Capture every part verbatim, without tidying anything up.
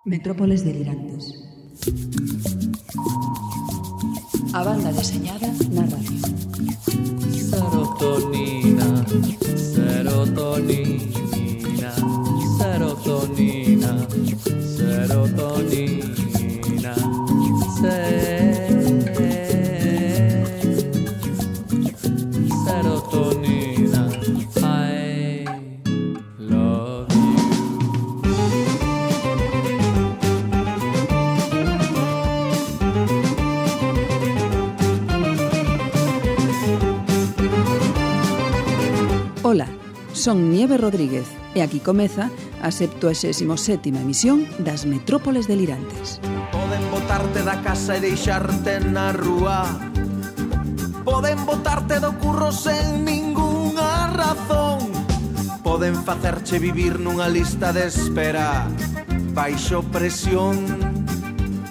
Metrópoles delirantes. A banda deseñada na radio. Serotonina, serotonina, serotonina, serotonina, serotonina, I love you. Ola, son Nieve Rodríguez e aquí comeza a septuagésima sétima emisión das Metrópoles delirantes. Poden botarte da casa e deixarte na rúa. Poden botarte do curro sen ningunha razón. Poden facerche vivir nunha lista de espera baixo presión.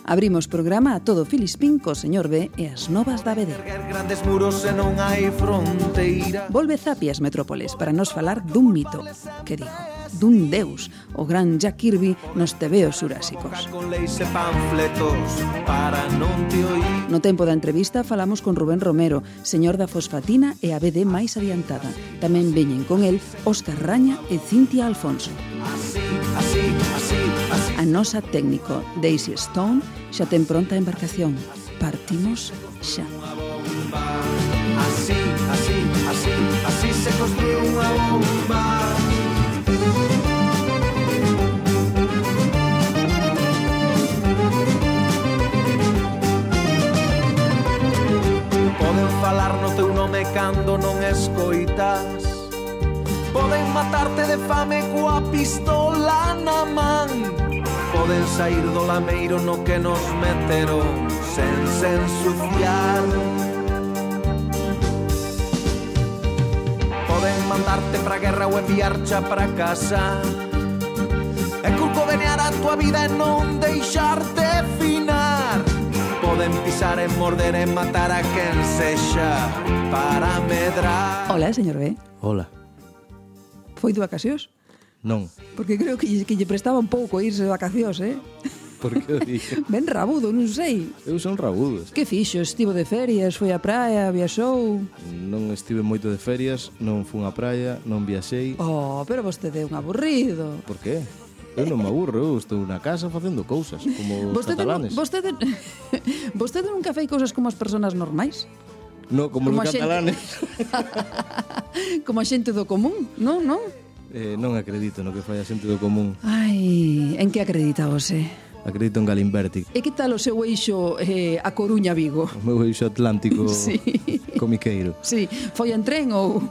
Abrimos programa a todo Filispín co señor B e as novas da B D. Erguer grandes muros e non hai fronteira. Volve Zapi as Metrópoles para nos falar dun mito, que digo, dun deus, o gran Jack Kirby nos tebeos xurásicos. Con leis e panfletos para non te oír. No tempo da entrevista falamos con Rubén Romero, señor da Fosfatina e a B D máis adiantada. Tamén veñen con el Óscar Raña e Cintia Alfonso. Así, así, así, así. A nosa técnico, Daisy Stone, xa ten pronta a embarcación. Partimos xa. Así, así, así, así se construye unha bomba. Poden falar no teu nome cando non escoitas. Poden matarte de fame coa pistola na man. Poden sair do lameiro no que nos meteron sen se ensuciar. Poden mandarte pra guerra ou enviarcha pra casa e curcovenear a tua vida e non deixarte finar. Poden pisar e morder e matar a quen sexa para medrar. Hola, señor B. Hola. Foi de vacacións? Non. Porque creo que lle, que lle prestaba un pouco irse de vacacións, eh? Por que o dixo? Ben rabudo, non sei. Eu son rabudo. Que fixo? Estivo de ferias, foi á praia, viaxou... Non estive moito de ferias, non fun á praia, non viaxei. Oh, pero vostede é un aburrido. Por qué? Eu non me aburro, eu estou na casa facendo cousas, como os Vostede, catalanes. vostede, vostede nunca fai cousas como as persoas normais? No, como, como os a xente- catalanes. Como a xente do común, non, non? eh, non acredito no que fai a xente do común. Ai, en que acredita você? Acredito en Galimberti, E que tal o seu eixo eh, a Coruña-Vigo? o meu eixo atlántico Sí. comiqueiro. Sí, foi en tren ou...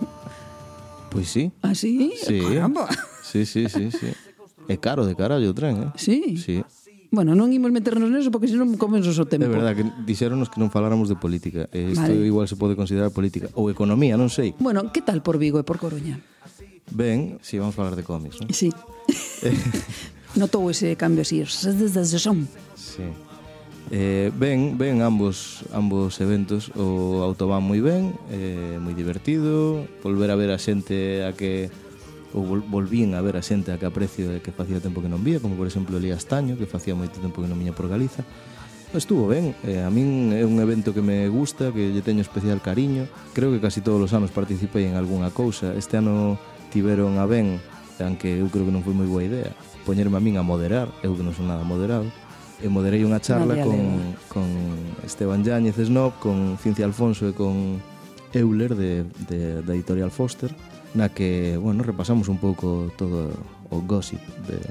Pois sí. Ah, sí? Sí. Caramba. Sí, sí, sí, sí. É caro de carallo o tren, eh? Sí? Sí. Bueno, non imos meternos neso porque senón comemos o tempo. É verdad que dixéronos que non faláramos de política. E isto Vale. igual se pode considerar política ou economía, non sei. Bueno, que tal por Vigo e por Coruña? Ben, si vamos falar de cómics, non? Sí. Notou ese cambio así. Son. Sí. Eh, ben, ben ambos ambos eventos. O Autobahn moi ben, eh, moi divertido, volver a ver a xente a que ou vol, volvín a ver a xente a que aprecio e que facía tempo que non vía, como por exemplo Elías Taño, que facía moito tempo que non viña por Galiza. Estuvo ben, eh, a min é un evento que me gusta, que lle teño especial cariño. Creo que casi todos os anos participei en algunha cousa. Este ano tiveron a ben, aunque eu creo que non foi moi boa idea, poñerme a min a moderar, eu que non son nada moderado. E moderei unha charla Nadie con, alega. con Esteban Yáñez Snob, con Cincia Alfonso e con Euler de, de, da editorial Foster, na que, bueno, repasamos un pouco todo o gossip de,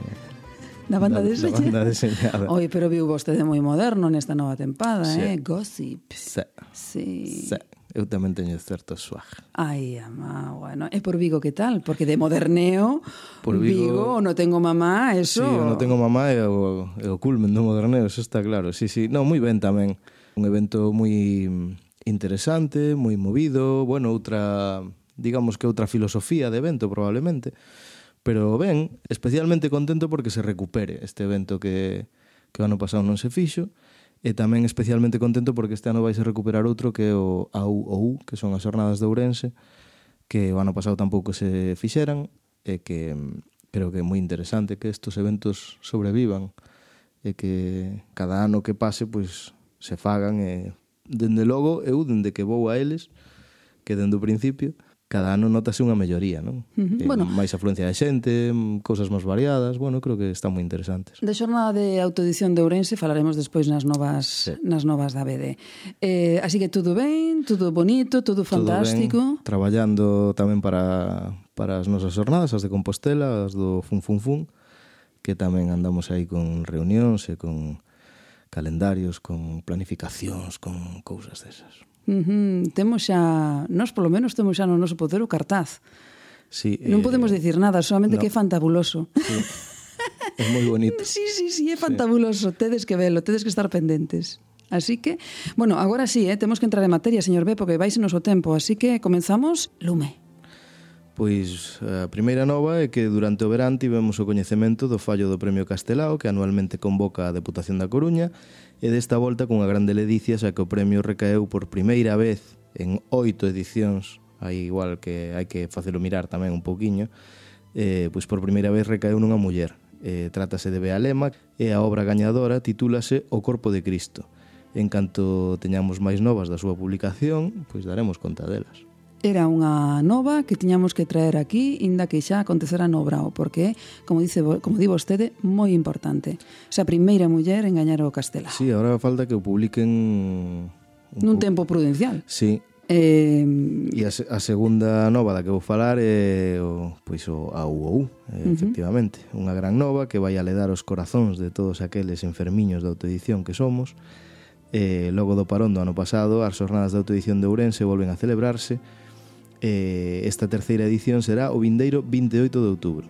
Na banda da, deseñada. da banda deseñada. Oi, pero viu vostede moi moderno nesta nova tempada, Sí. eh? Gossip. Sí, Sí. sí. Eu tamén teño certo swag. Ai, ama, bueno. E por Vigo que tal? Porque de moderneo, Por Vigo- Vigo, no tengo mamá, eso... Sí, eu non tengo mamá e o, e o culmen do moderneo, eso está claro. Sí, sí. Non, moi ben tamén. Un evento moi interesante, moi movido, bueno, outra, digamos que outra filosofía de evento probablemente, pero ben, especialmente contento porque se recupere este evento que, que o ano pasado non se fixo, e tamén especialmente contento porque este ano vai se recuperar outro que é o A U O U, que son as Jornadas de Ourense, que o ano pasado tampouco se fixeran, e que creo que é moi interesante que estos eventos sobrevivan e que cada ano que pase pois se fagan e dende logo eu dende que vou a eles que dende o principio cada ano notase unha melloría, non? Uh-huh. Eh, Bueno. máis afluencia de xente, cousas máis variadas, bueno, creo que están moi interesantes. De xornada de autoedición de Ourense falaremos despois nas novas Sí. nas novas da B D. Eh, así que tudo ben, tudo bonito, tudo fantástico. Todo ben, traballando tamén para, para as nosas jornadas, as de Compostela, as do Fun Fun Fun, que tamén andamos aí con reunións e con calendarios, con planificacións, con cousas desas. Uh-huh. Temos xa, nós polo menos temos xa no noso poder o cartaz. Sí, Non eh, podemos dicir nada, solamente no. que é fantabuloso. Sí. É moi bonito. Sí, sí, sí, é fantabuloso. Sí. Tedes que velo, tedes que estar pendentes. Así que, bueno, agora sí, eh, temos que entrar en materia, señor B, porque vais o tempo. Así que comenzamos, lume. Pois a primeira nova é que durante o verán tivemos o coñecemento do fallo do Premio Castelao que anualmente convoca a Deputación da Coruña e desta volta cunha grande ledicia xa que o premio recaeu por primeira vez en oito edicións, aí igual que hai que facelo mirar tamén un pouquiño, eh, pois por primeira vez recaeu nunha muller. Eh, trátase de Bea Lema e a obra gañadora titúlase O Corpo de Cristo. En canto teñamos máis novas da súa publicación, pois daremos conta delas. Era unha nova que tiñamos que traer aquí, inda que xa acontecera no Brao, porque, como dice, como di vostede, moi importante. Esa primeira muller en gañar o Castelao. Sí, agora falta que o publiquen nun tempo prudencial. Sí. Eh, E a, a segunda nova da que vou falar é o, pois o A U O U, eh, uh-huh. efectivamente. Unha gran nova que vai a ledar os corazóns de todos aqueles enfermiños de autoedición que somos. Eh, logo do parón do ano pasado, as xornadas de autoedición de Ourense volven a celebrarse. Eh, esta terceira edición será o vindeiro vinte e oito de outubro.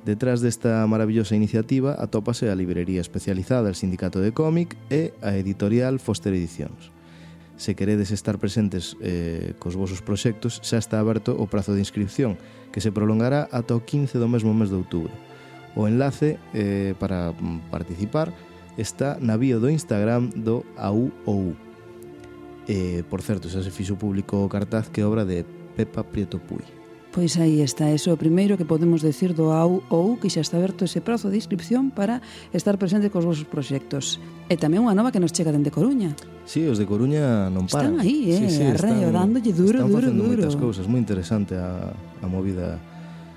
Detrás desta maravillosa iniciativa atópase a librería especializada El Sindicato de Cómic e a editorial Foster Edicións. Se queredes estar presentes eh, cos vosos proxectos, xa está aberto o prazo de inscripción, que se prolongará ata o quince do mesmo mes de outubro. O enlace eh, para participar está na bio do Instagram do A U O U. Eh, por certo, xa se fixo público o cartaz que é obra de Pepa Prieto Puy. Pois aí está, eso é o primeiro que podemos decir do A U O U, que xa está aberto ese prazo de inscripción para estar presente cos vosos proxectos. E tamén unha nova que nos chega dende Coruña. Sí, os de Coruña non paran. Están aí, eh, sí, sí, arreo, dándolle duro, están duro, facendo duro. moitas cousas, moi interesante a, a movida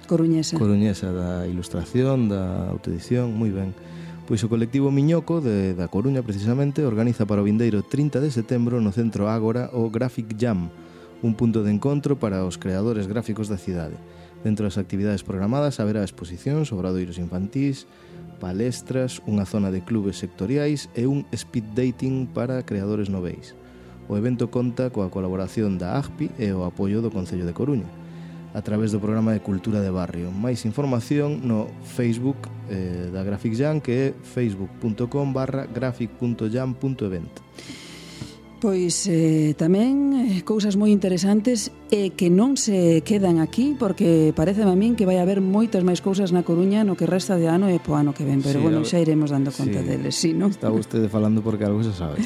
Coruñesa. coruñesa da ilustración, da autoedición, moi ben. Pois o colectivo Miñoco de, da Coruña precisamente organiza para o vindeiro trinta de setembro no Centro Ágora o Graphic Jam, un punto de encontro para os creadores gráficos da cidade. Dentro das actividades programadas haberá exposicións, obradoiros infantís, palestras, unha zona de clubes sectoriais e un speed dating para creadores noveis. O evento conta coa colaboración da A G P I e o apoio do Concello de Coruña a través do programa de Cultura de Barrio. Máis información no Facebook eh, da Graphic Jam, que é facebook punto com barra graphic punto jam punto event. Pois eh, tamén eh, cousas moi interesantes e que non se quedan aquí, porque parece a min que vai haber moitas máis cousas na Coruña no que resta de ano e po ano que ven, pero Sí, bueno, a- xa iremos dando conta sí. deles, sí, non? Está vostede falando porque algo se sabe.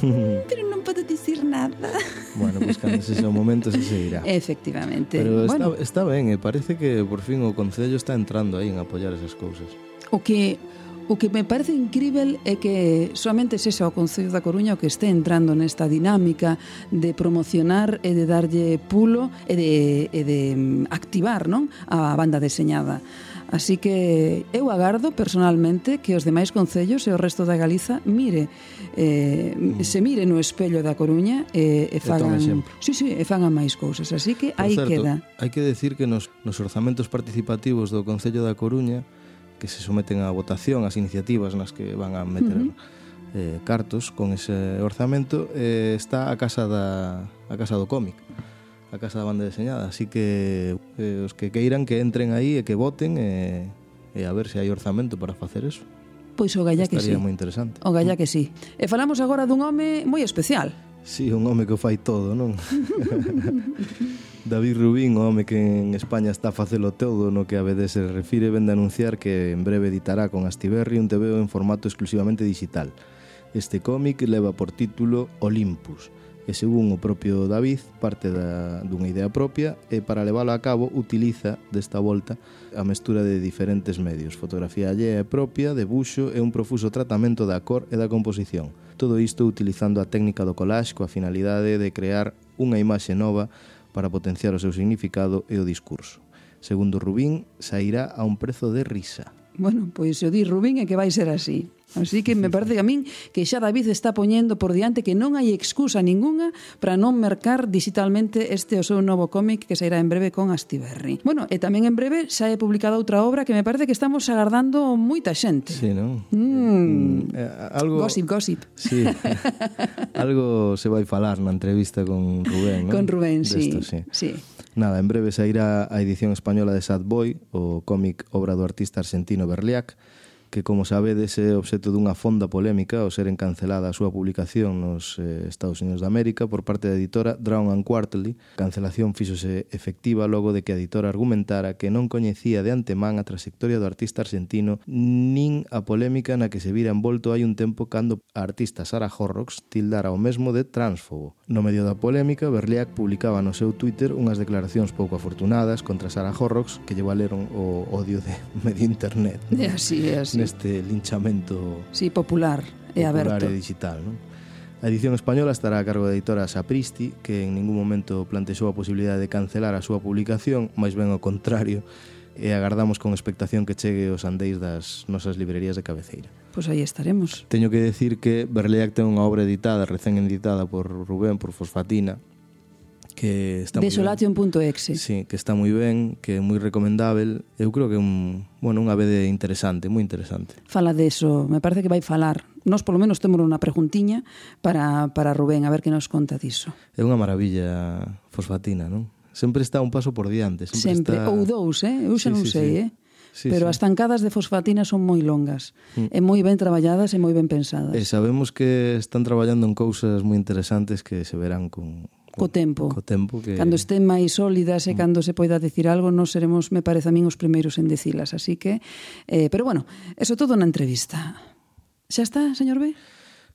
Pero non podo dicir nada. Bueno, pois cando se sea o momento se se irá. Efectivamente. Pero bueno, está, está ben, e parece que por fin o Concello está entrando aí en apoiar esas cousas. o que o que me parece incrível é que soamente sexa o Concello da Coruña o que este entrando nesta dinámica de promocionar e de darlle pulo e de, e de activar, non, a banda deseñada. Así que eu agardo personalmente que os demais concellos e o resto da Galiza mire eh, se mire no espello da Coruña e, e fagan, exemplo. sí, sí, e fagan máis cousas. Así que Por aí certo, queda. hai que decir que nos, nos orzamentos participativos do Concello da Coruña, que se someten a votación as iniciativas nas que van a meter uh-huh. eh, cartos con ese orzamento, eh, está a casa da a casa do cómic, a casa da banda deseñada, así que eh, os que queiran que entren aí e que voten e, e a ver se hai orzamento para facer eso. Pois o galla que sí. Estaría moi interesante. O galla que sí. E falamos agora dun home moi especial. Sí, un home que o fai todo, non? David Rubín, o home que en España está a facelo todo no que a B D se refire, vende a anunciar que en breve editará con Astiberri un tebeo en formato exclusivamente digital. Este cómic leva por título Olympus, e según o propio David parte da, dunha idea propia e para leválo a cabo utiliza desta volta a mestura de diferentes medios, fotografía allea e propia, debuxo e un profuso tratamento da cor e da composición. Todo isto utilizando a técnica do collage coa finalidade de crear unha imaxe nova para potenciar o seu significado e o discurso. Segundo Rubín, sairá a un prezo de risa. Bueno, pois se o di Rubín é que vai ser así. Así que me parece a min que xa David está poñendo por diante que non hai excusa ningunha para non mercar digitalmente este o seu novo cómic que sairá en breve con Astiberri. Bueno, e tamén en breve xa é publicada outra obra que me parece que estamos agardando moita xente. Sí, non? Mm. Eh, algo... Gossip, gossip. Sí. Algo se vai falar na entrevista con Rubén, non? Con Rubén, sí. Desto, sí. sí. Nada, en breve sairá a edición española de Sad Boy, o cómic obra do artista argentino Berliak, que, como sabedes, é obxecto dunha fonda polémica ao ser encancelada a súa publicación nos eh, Estados Unidos de América por parte da editora Drown and Quarterly. A cancelación fíxose efectiva logo de que a editora argumentara que non coñecía de antemán a trayectoria do artista argentino nin a polémica na que se vira envolto hai un tempo cando a artista Sarah Horrocks tildara o mesmo de transfobo. No medio da polémica, Berliak publicaba no seu Twitter unhas declaracións pouco afortunadas contra Sarah Horrocks que lle valeron o odio de medio internet, ¿no? É así, é así. Neste linchamento sí, popular e popular aberto. e digital, ¿no? A edición española estará a cargo da editora Sapristi, que en ningún momento plantexou a posibilidade de cancelar a súa publicación, máis ben ao contrario, e agardamos con expectación que chegue aos andeis das nosas librerías de cabeceira. Pois aí estaremos. Teño que decir que Berliak ten unha obra editada, recén editada por Rubén, por Fosfatina, que está Desolation punto exe. Sí, que está moi ben, que é moi recomendável. Eu creo que é un, bueno, unha vede interesante, moi interesante. Fala deso, me parece que vai falar. Nós polo menos temos unha preguntiña para, para Rubén, a ver que nos conta diso. É unha maravilla Fosfatina, non? Sempre está un paso por diante. Sempre, Sempre. Está... Ou dous, eh? Eu xa Sí, non sí, sei, sí. eh? Sí, Pero sí. as tancadas de Fosfatina son moi longas, mm. e moi ben traballadas e moi ben pensadas. E sabemos que están traballando en cousas moi interesantes que se verán con... Co tempo. Co tempo que... Cando estén máis sólidas e cando se poida decir algo, non seremos, me parece a min, os primeiros en dicilas. Así que, eh, pero bueno, eso todo na entrevista. Xa está, señor B?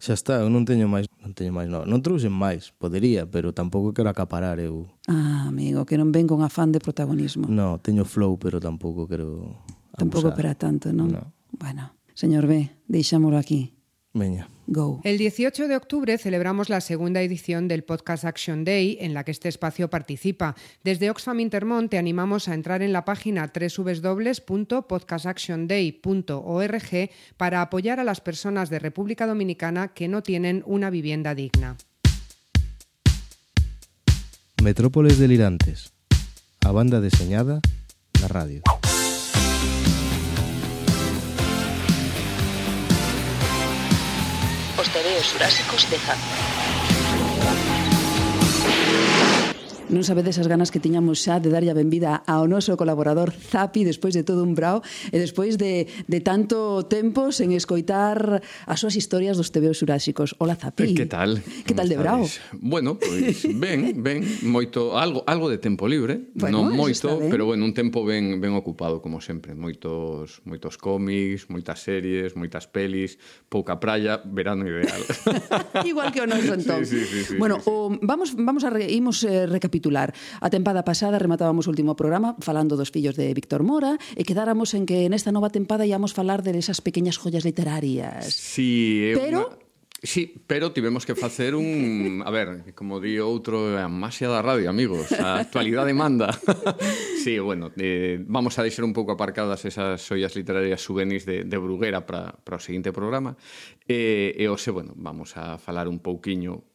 Xa está, eu non teño máis, non teño máis, non. Non trouxen máis, podería, pero tampouco quero acaparar eu. Ah, amigo, que non ven con afán de protagonismo. No, teño flow, pero tampouco quero abusar. Tampouco para tanto, non? No. Bueno, señor B, deixámolo aquí. Veña. Go. El dieciocho de octubre celebramos la segunda edición del Podcast Action Day, en la que este espacio participa. Desde Oxfam Intermont te animamos a entrar en la página doble u doble u doble u punto podcast action day punto org para apoyar a las personas de República Dominicana que no tienen una vivienda digna. Metrópoles delirantes. A banda deseñada na radio. Os tebeos xurásicos de Zapi. Non sabedes as ganas que tiñamos xa de darlle a benvida ao noso colaborador Zapi despois de todo un brao e despois de, de tanto tempo sen escoitar as súas historias dos tebeos xurásicos. Hola, Zapi. Que tal? Que tal de brao? Bueno, pois ben, ben, moito algo algo de tempo libre, Bueno, non eso moito, está ben. pero bueno, un tempo ben ben ocupado como sempre, moitos moitos cómics, moitas series, moitas pelis, pouca praia, verano ideal. Igual que o noso entón. Sí, sí, sí, sí, bueno, sí, sí. O, vamos vamos a re, imos eh, recapitular. A tempada pasada rematábamos o último programa falando dos fillos de Víctor Mora e quedáramos en que nesta nova tempada íamos falar de esas pequeñas joyas literarias. Sí, é Pero unha... Sí, pero tivemos que facer un... A ver, como di outro, a maxia da radio, amigos. A actualidade manda. Sí, bueno, eh, vamos a deixar un pouco aparcadas esas xoias literarias souvenirs de, de Bruguera para, para o seguinte programa. E, e hoxe, bueno, vamos a falar un pouquiño...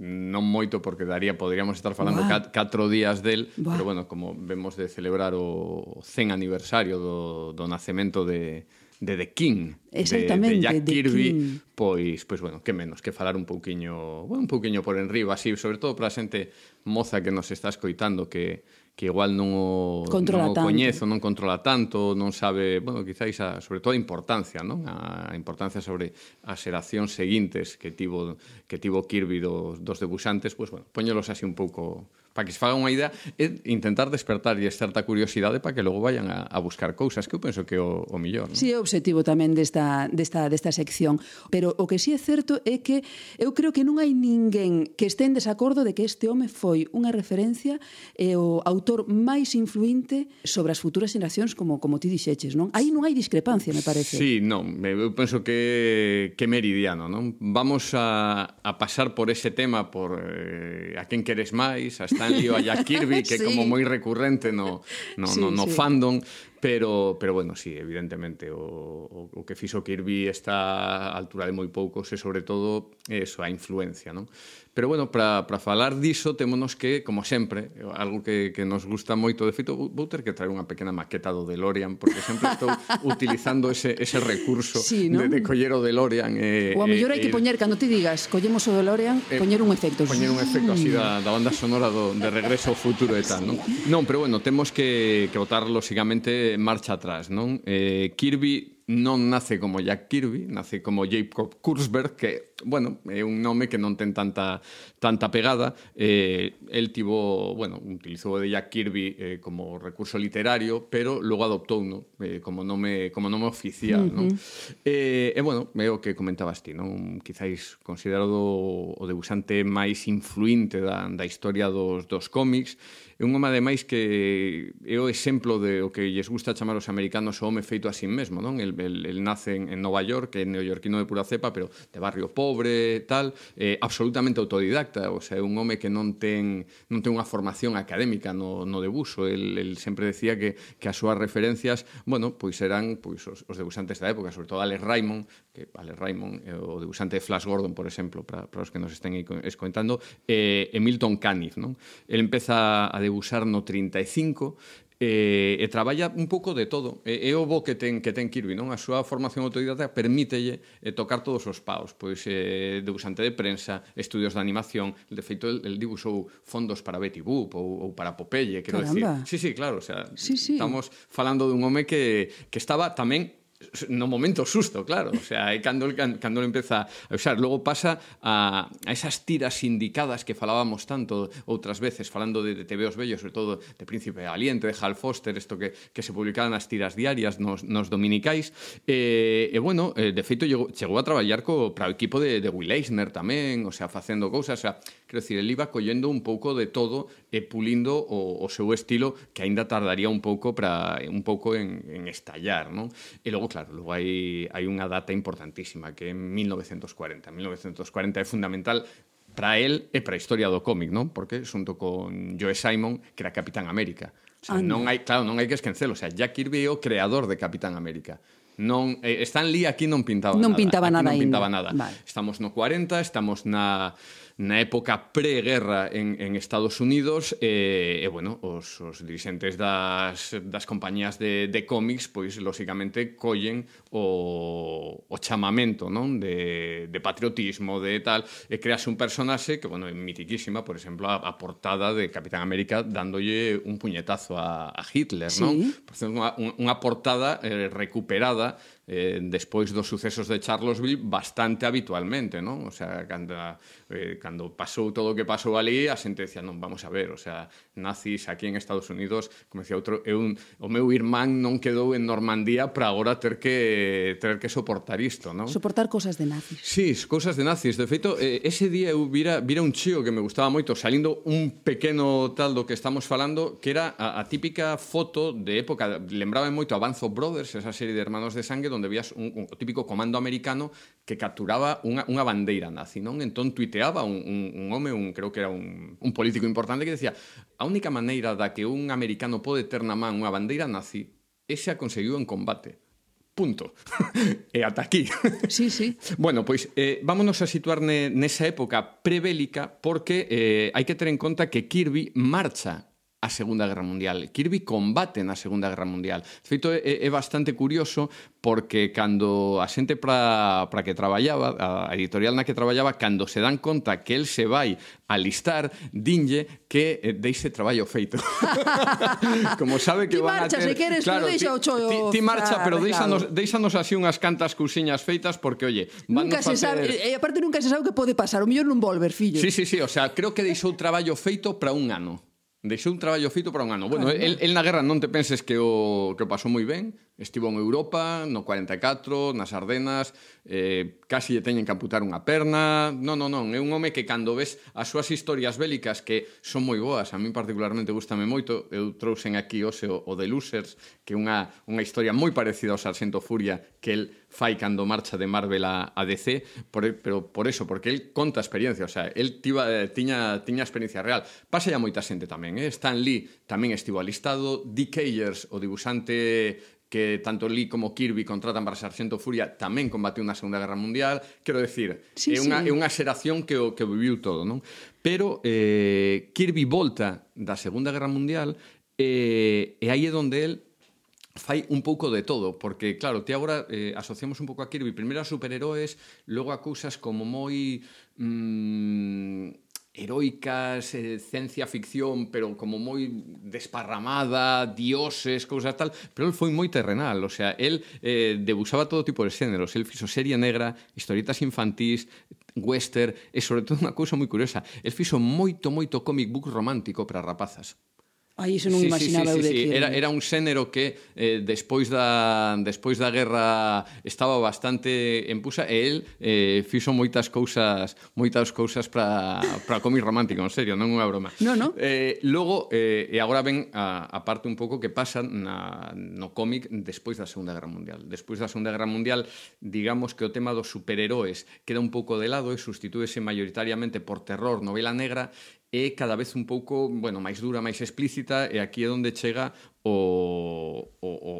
Non moito porque daría, poderíamos estar falando Buah. cat, catro días del, Buah. pero bueno, como vemos de celebrar o cen aniversario do, do nacemento de, de The King, Exactamente, de, de Jack The Kirby, King. pois, pois bueno, que menos que falar un pouquiño, bueno, un pouquiño por enriba, así, sobre todo para a xente moza que nos está escoitando, que que igual non o, Controla non o tanto. coñezo, non controla tanto, non sabe, bueno, quizáis a, sobre todo a importancia, non? A importancia sobre as xeracións seguintes que tivo que tivo Kirby dos, dos debuxantes, pois bueno, poñelos así un pouco para que se faga unha idea, é intentar despertarlle certa curiosidade para que logo vayan a, a buscar cousas, que eu penso que é o, o millor. Non? Si, é o obxectivo tamén desta, desta, desta sección. Pero o que si é certo é que eu creo que non hai ninguén que este en desacordo de que este home foi unha referencia e o autor máis influinte sobre as futuras xeracións, como, como ti dixeches, non? Aí non hai discrepancia, me parece. Sí, non, eu penso que, que meridiano, non? Vamos a, a pasar por ese tema, por eh, a quen queres máis, a Stanley ou a Jack Kirby, que é Sí. como moi recurrente no, no, Sí, no, no sí. fandom, pero, pero bueno, sí, evidentemente o, o, o que fixo Kirby está a altura de moi poucos e sobre todo eso, a influencia, non? Pero bueno, para falar diso témonos que, como sempre, algo que, que nos gusta moito, de feito, vou ter que traer unha pequena maqueta do DeLorean, porque sempre estou utilizando ese, ese recurso Sí, ¿no? de, de coller o DeLorean. E, Ou a mellor e, hai que e- poñer, cando ti digas, collemos o DeLorean, Eh, poñer un efecto. Poñer un efecto así da, da banda sonora do, de Regreso ao Futuro e tal, non? Non, pero bueno, temos que, que botar lógicamente marcha atrás, non? Eh, Kirby non nace como Jack Kirby, nace como Jacob Kurzberg, que, bueno, é un nome que non ten tanta tanta pegada. Eh, el tivo, bueno, utilizou o de Jack Kirby eh, como recurso literario, pero logo adoptou, no? eh, como nome como nome oficial, non? Eh, e, bueno, é o que comentabas ti, non? Quizáis considerado o debuxante máis influinte da, da historia dos, dos cómics. É un home, ademais, que é o exemplo de o que lles gusta chamar os americanos o home feito a sí mesmo, non? El, el, el nace en, en Nova York, que é neoyorquino de pura cepa, pero de barrio pobre, tal, eh, absolutamente autodidacta, o sea, é un home que non ten non ten unha formación académica no, no debuxo. El, el sempre decía que, que as súas referencias, bueno, pois eran pois, os, os debuxantes da época, sobre todo Alex Raymond, que Alex Raymond é o debuxante de Flash Gordon, por exemplo, para, para os que nos estén escoitando, e eh, Milton Caniff, non? El empeza a debuxar no trinta e cinco e, e traballa un pouco de todo. E, é o bo que ten, que ten Kirby, non? A súa formación autodidacta permítelle eh, tocar todos os paus. Pois eh, debuxante de prensa, estudios de animación. De feito, el, el dibuxou fondos para Betty Boop ou, ou para Popeye, quero decir. Caramba. Sí, sí, claro, o sea, Sí, sí. estamos falando dun home que, que estaba tamén no momento susto, claro, o sea, é cando, cando empeza a usar. Logo pasa a, a esas tiras sindicadas que falábamos tanto outras veces, falando de, de T V Os Bellos, sobre todo de Príncipe Valiente, de Hal Foster, isto que, que se publicaban nas tiras diarias nos, nos dominicais, e, e bueno, eh, de feito chegou, chegou a traballar co, para o equipo de, de Will Eisner tamén, o sea, facendo cousas, o sea, quero dicir, ele iba collendo un pouco de todo e pulindo o, o seu estilo, que aínda tardaría un pouco para un pouco en, en estallar, non? E logo, claro, logo hai, hai unha data importantísima, que é mil novecentos cuarenta. mil novecentos cuarenta é fundamental para él e para a historia do cómic, non? Porque xunto con Joe Simon, que era Capitán América. O sea, non hai, claro, non hai que esquecelo, o sea, Jack Kirby é o creador de Capitán América. Non, eh, Stan Lee aquí non pintaba Non nada. pintaba aquí nada non pintaba aínda. nada. Vale. Estamos no cuarenta, estamos na na época pre-guerra en, en Estados Unidos e, e bueno, os, os dirixentes das, das compañías de, de cómics, pois, lógicamente, collen o, o chamamento, non? De, de patriotismo, de tal, e crease un personaxe que, bueno, é mitiquísima, por exemplo, a, a portada de Capitán América dándolle un puñetazo a, a Hitler, Sí. non? Por exemplo, unha, unha portada eh, recuperada eh, despois dos sucesos de Charlottesville bastante habitualmente, non? O sea, cando, eh, cando pasou todo o que pasou ali, a xente decía, non, vamos a ver, o sea, nazis aquí en Estados Unidos, como decía outro, é un, o meu irmán non quedou en Normandía para agora ter que ter que soportar isto, non? Soportar cosas de nazis. Sí, cousas de nazis. De feito, eh, ese día eu vira, vira un chío que me gustaba moito, salindo un pequeno tal do que estamos falando, que era a, a típica foto de época, lembraba moito a Banzo Brothers, esa serie de hermanos de sangue, donde vías un, un, o típico comando americano que capturaba unha, unha bandeira nazi, non? Entón tuiteaba un, un, un home, un, creo que era un, un político importante, que decía, a única maneira da que un americano pode ter na man unha bandeira nazi ese a conseguiu en combate. Punto. E ata aquí. Sí, sí. Bueno, pois eh, vámonos a situar ne, nesa época prebélica porque eh, hai que ter en conta que Kirby marcha a Segunda Guerra Mundial. Kirby combate na Segunda Guerra Mundial. De feito, é, é bastante curioso porque cando a xente para para que traballaba, a editorial na que traballaba, cando se dan conta que el se vai alistar, dinlle que eh, deixe traballo feito. Como sabe que Ti van a marcha, ter... se queres, claro, pero deixa o chollo ti, ti marcha, pero arreglado. deixanos, deixanos así unhas cantas cousiñas feitas porque, oye, van Nunca se facer... sabe, e aparte nunca se sabe o que pode pasar, o mellor non volver, fillo. Sí, sí, sí, o sea, creo que deixou traballo feito para un ano. Deixou un traballo feito para un ano. Bueno, el, el na guerra non te penses que o, que o pasou moi ben. Estivo en Europa, no cuarenta e catro, nas Ardenas, eh, casi lle teñen que amputar unha perna. Non, non, non, é un home que cando ves as súas historias bélicas que son moi boas, a mí particularmente gustame moito, eu trouxen aquí hoxe o, o The Losers, que é unha, unha historia moi parecida ao Sarxento Furia que el fai cando marcha de Marvel a, a D C, por, pero por eso, porque el conta experiencia, o sea, el tiba, eh, tiña, tiña experiencia real. Pasa ya moita xente tamén, eh? Stan Lee tamén estivo alistado, Dick Ayers, o dibujante que tanto Lee como Kirby contratan para Sarxento Furia, tamén combateu na Segunda Guerra Mundial. Quero decir, sí, é, unha, sí. é unha xeración que o que viviu todo, non? Pero eh, Kirby volta da Segunda Guerra Mundial eh, e aí é onde el fai un pouco de todo, porque, claro, ti agora eh, asociamos un pouco a Kirby primeiro a superheróis, logo a cousas como moi... Mmm, heroicas, eh, ciencia ficción, pero como moi desparramada, dioses, cousas tal, pero el foi moi terrenal, o sea, el eh, debuxaba todo tipo de xéneros, el fixo serie negra, historietas infantís, western, e sobre todo unha cousa moi curiosa, el fixo moito, moito comic book romántico para rapazas. Ai, iso non sí, imaginaba sí, sí, eu de sí. Kirby. Era, era un xénero que eh, despois da despois da guerra estaba bastante en puxa e el eh, fixo moitas cousas moitas cousas para para cómic romántico, en serio, non é unha broma. No, no. Eh, logo, eh, e agora ven a, a parte un pouco que pasa na, no cómic despois da Segunda Guerra Mundial. Despois da Segunda Guerra Mundial, digamos que o tema dos superheróis queda un pouco de lado e sustitúese maioritariamente por terror, novela negra, é cada vez un pouco, bueno, máis dura, máis explícita, e aquí é onde chega o, o, o,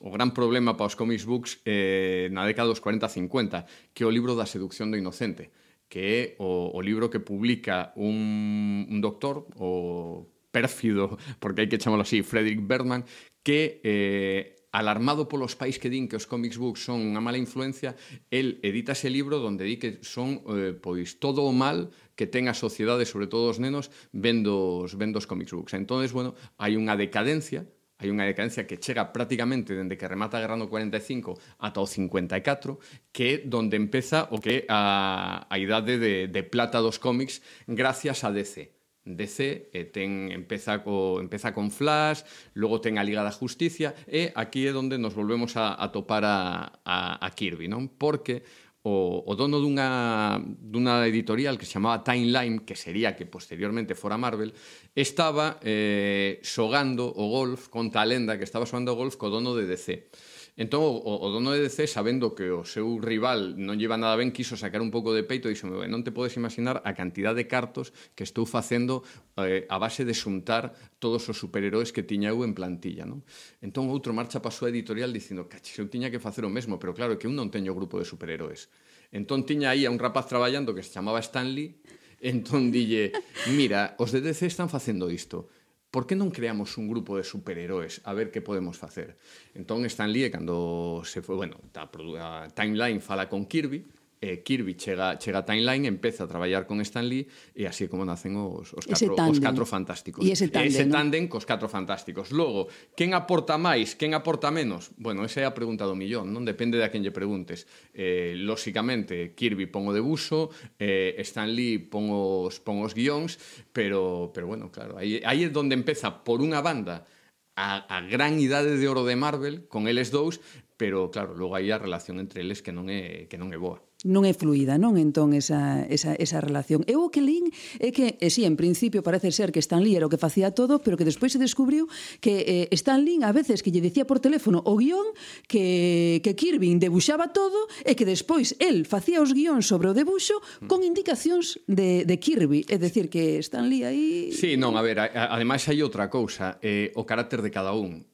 o gran problema para os comics books eh, na década dos cuarenta a cincuenta, que é o libro da seducción do inocente, que é o, o libro que publica un, un doctor, o pérfido, porque hai que chamarlo así, Frederick Bergman, que... Eh, alarmado polos pais que din que os comics books son unha mala influencia, el edita ese libro onde di que son eh, pois todo o mal que ten a sociedade, sobre todo os nenos, vendo os, vendo os comics books. Entonces, bueno, hai unha decadencia, hai unha decadencia que chega prácticamente dende que remata a guerra no cuarenta e cinco ata o cincuenta e catro, que é donde empeza o que é a, a idade de, de plata dos cómics gracias a D C. D C eh, ten, empeza, co, empeza con Flash, logo ten a Liga da Justicia, e aquí é onde nos volvemos a, a topar a, a, a Kirby, non? Porque o, o dono dunha, dunha editorial que se chamaba Timeline, que sería que posteriormente fora Marvel, estaba eh, xogando o golf contra a lenda que estaba xogando o golf co dono de D C. Entón, o, o dono de D C, sabendo que o seu rival non lleva nada ben, quiso sacar un pouco de peito e dixo, non te podes imaginar a cantidad de cartos que estou facendo eh, a base de xuntar todos os superheróis que tiña eu en plantilla, non? Entón, outro marcha pa súa editorial dicindo, cache, eu tiña que facer o mesmo, pero claro, que eu non teño grupo de superheróis. Entón, tiña aí a un rapaz traballando que se chamaba Stan Lee, entón dille, mira, os de D C están facendo isto, por que non creamos un grupo de superheróis a ver que podemos facer? Entón, Stan Lee, cando se foi, bueno, a, a Timeline fala con Kirby, eh, Kirby chega, chega a Timeline, empeza a traballar con Stan Lee, e así é como nacen os, os, catro, os catro fantásticos. E ese tándem, ese ¿no? tándem cos catro fantásticos. Logo, quen aporta máis, quen aporta menos? Bueno, esa é a pregunta do millón, non? Depende de a quen lle preguntes. Eh, lóxicamente, Kirby pon o debuxo, eh, Stan Lee pon os, pon os guións, pero, pero bueno, claro, aí, aí é onde empeza, por unha banda, a, a gran idade de oro de Marvel, con eles dous, pero, claro, logo aí a relación entre eles que non é, que non é boa. Non é fluida, non? Entón, esa, esa, esa relación. Eu o que lín é que, e sí, en principio parece ser que Stan Lee era o que facía todo, pero que despois se descubriu que eh, Stan Lee a veces que lle dicía por teléfono o guión que, que Kirby debuxaba todo e que despois el facía os guións sobre o debuxo con indicacións de, de Kirby. É dicir, que Stan Lee aí... Sí, non, a ver, a, a, ademais hai outra cousa, eh, o carácter de cada un.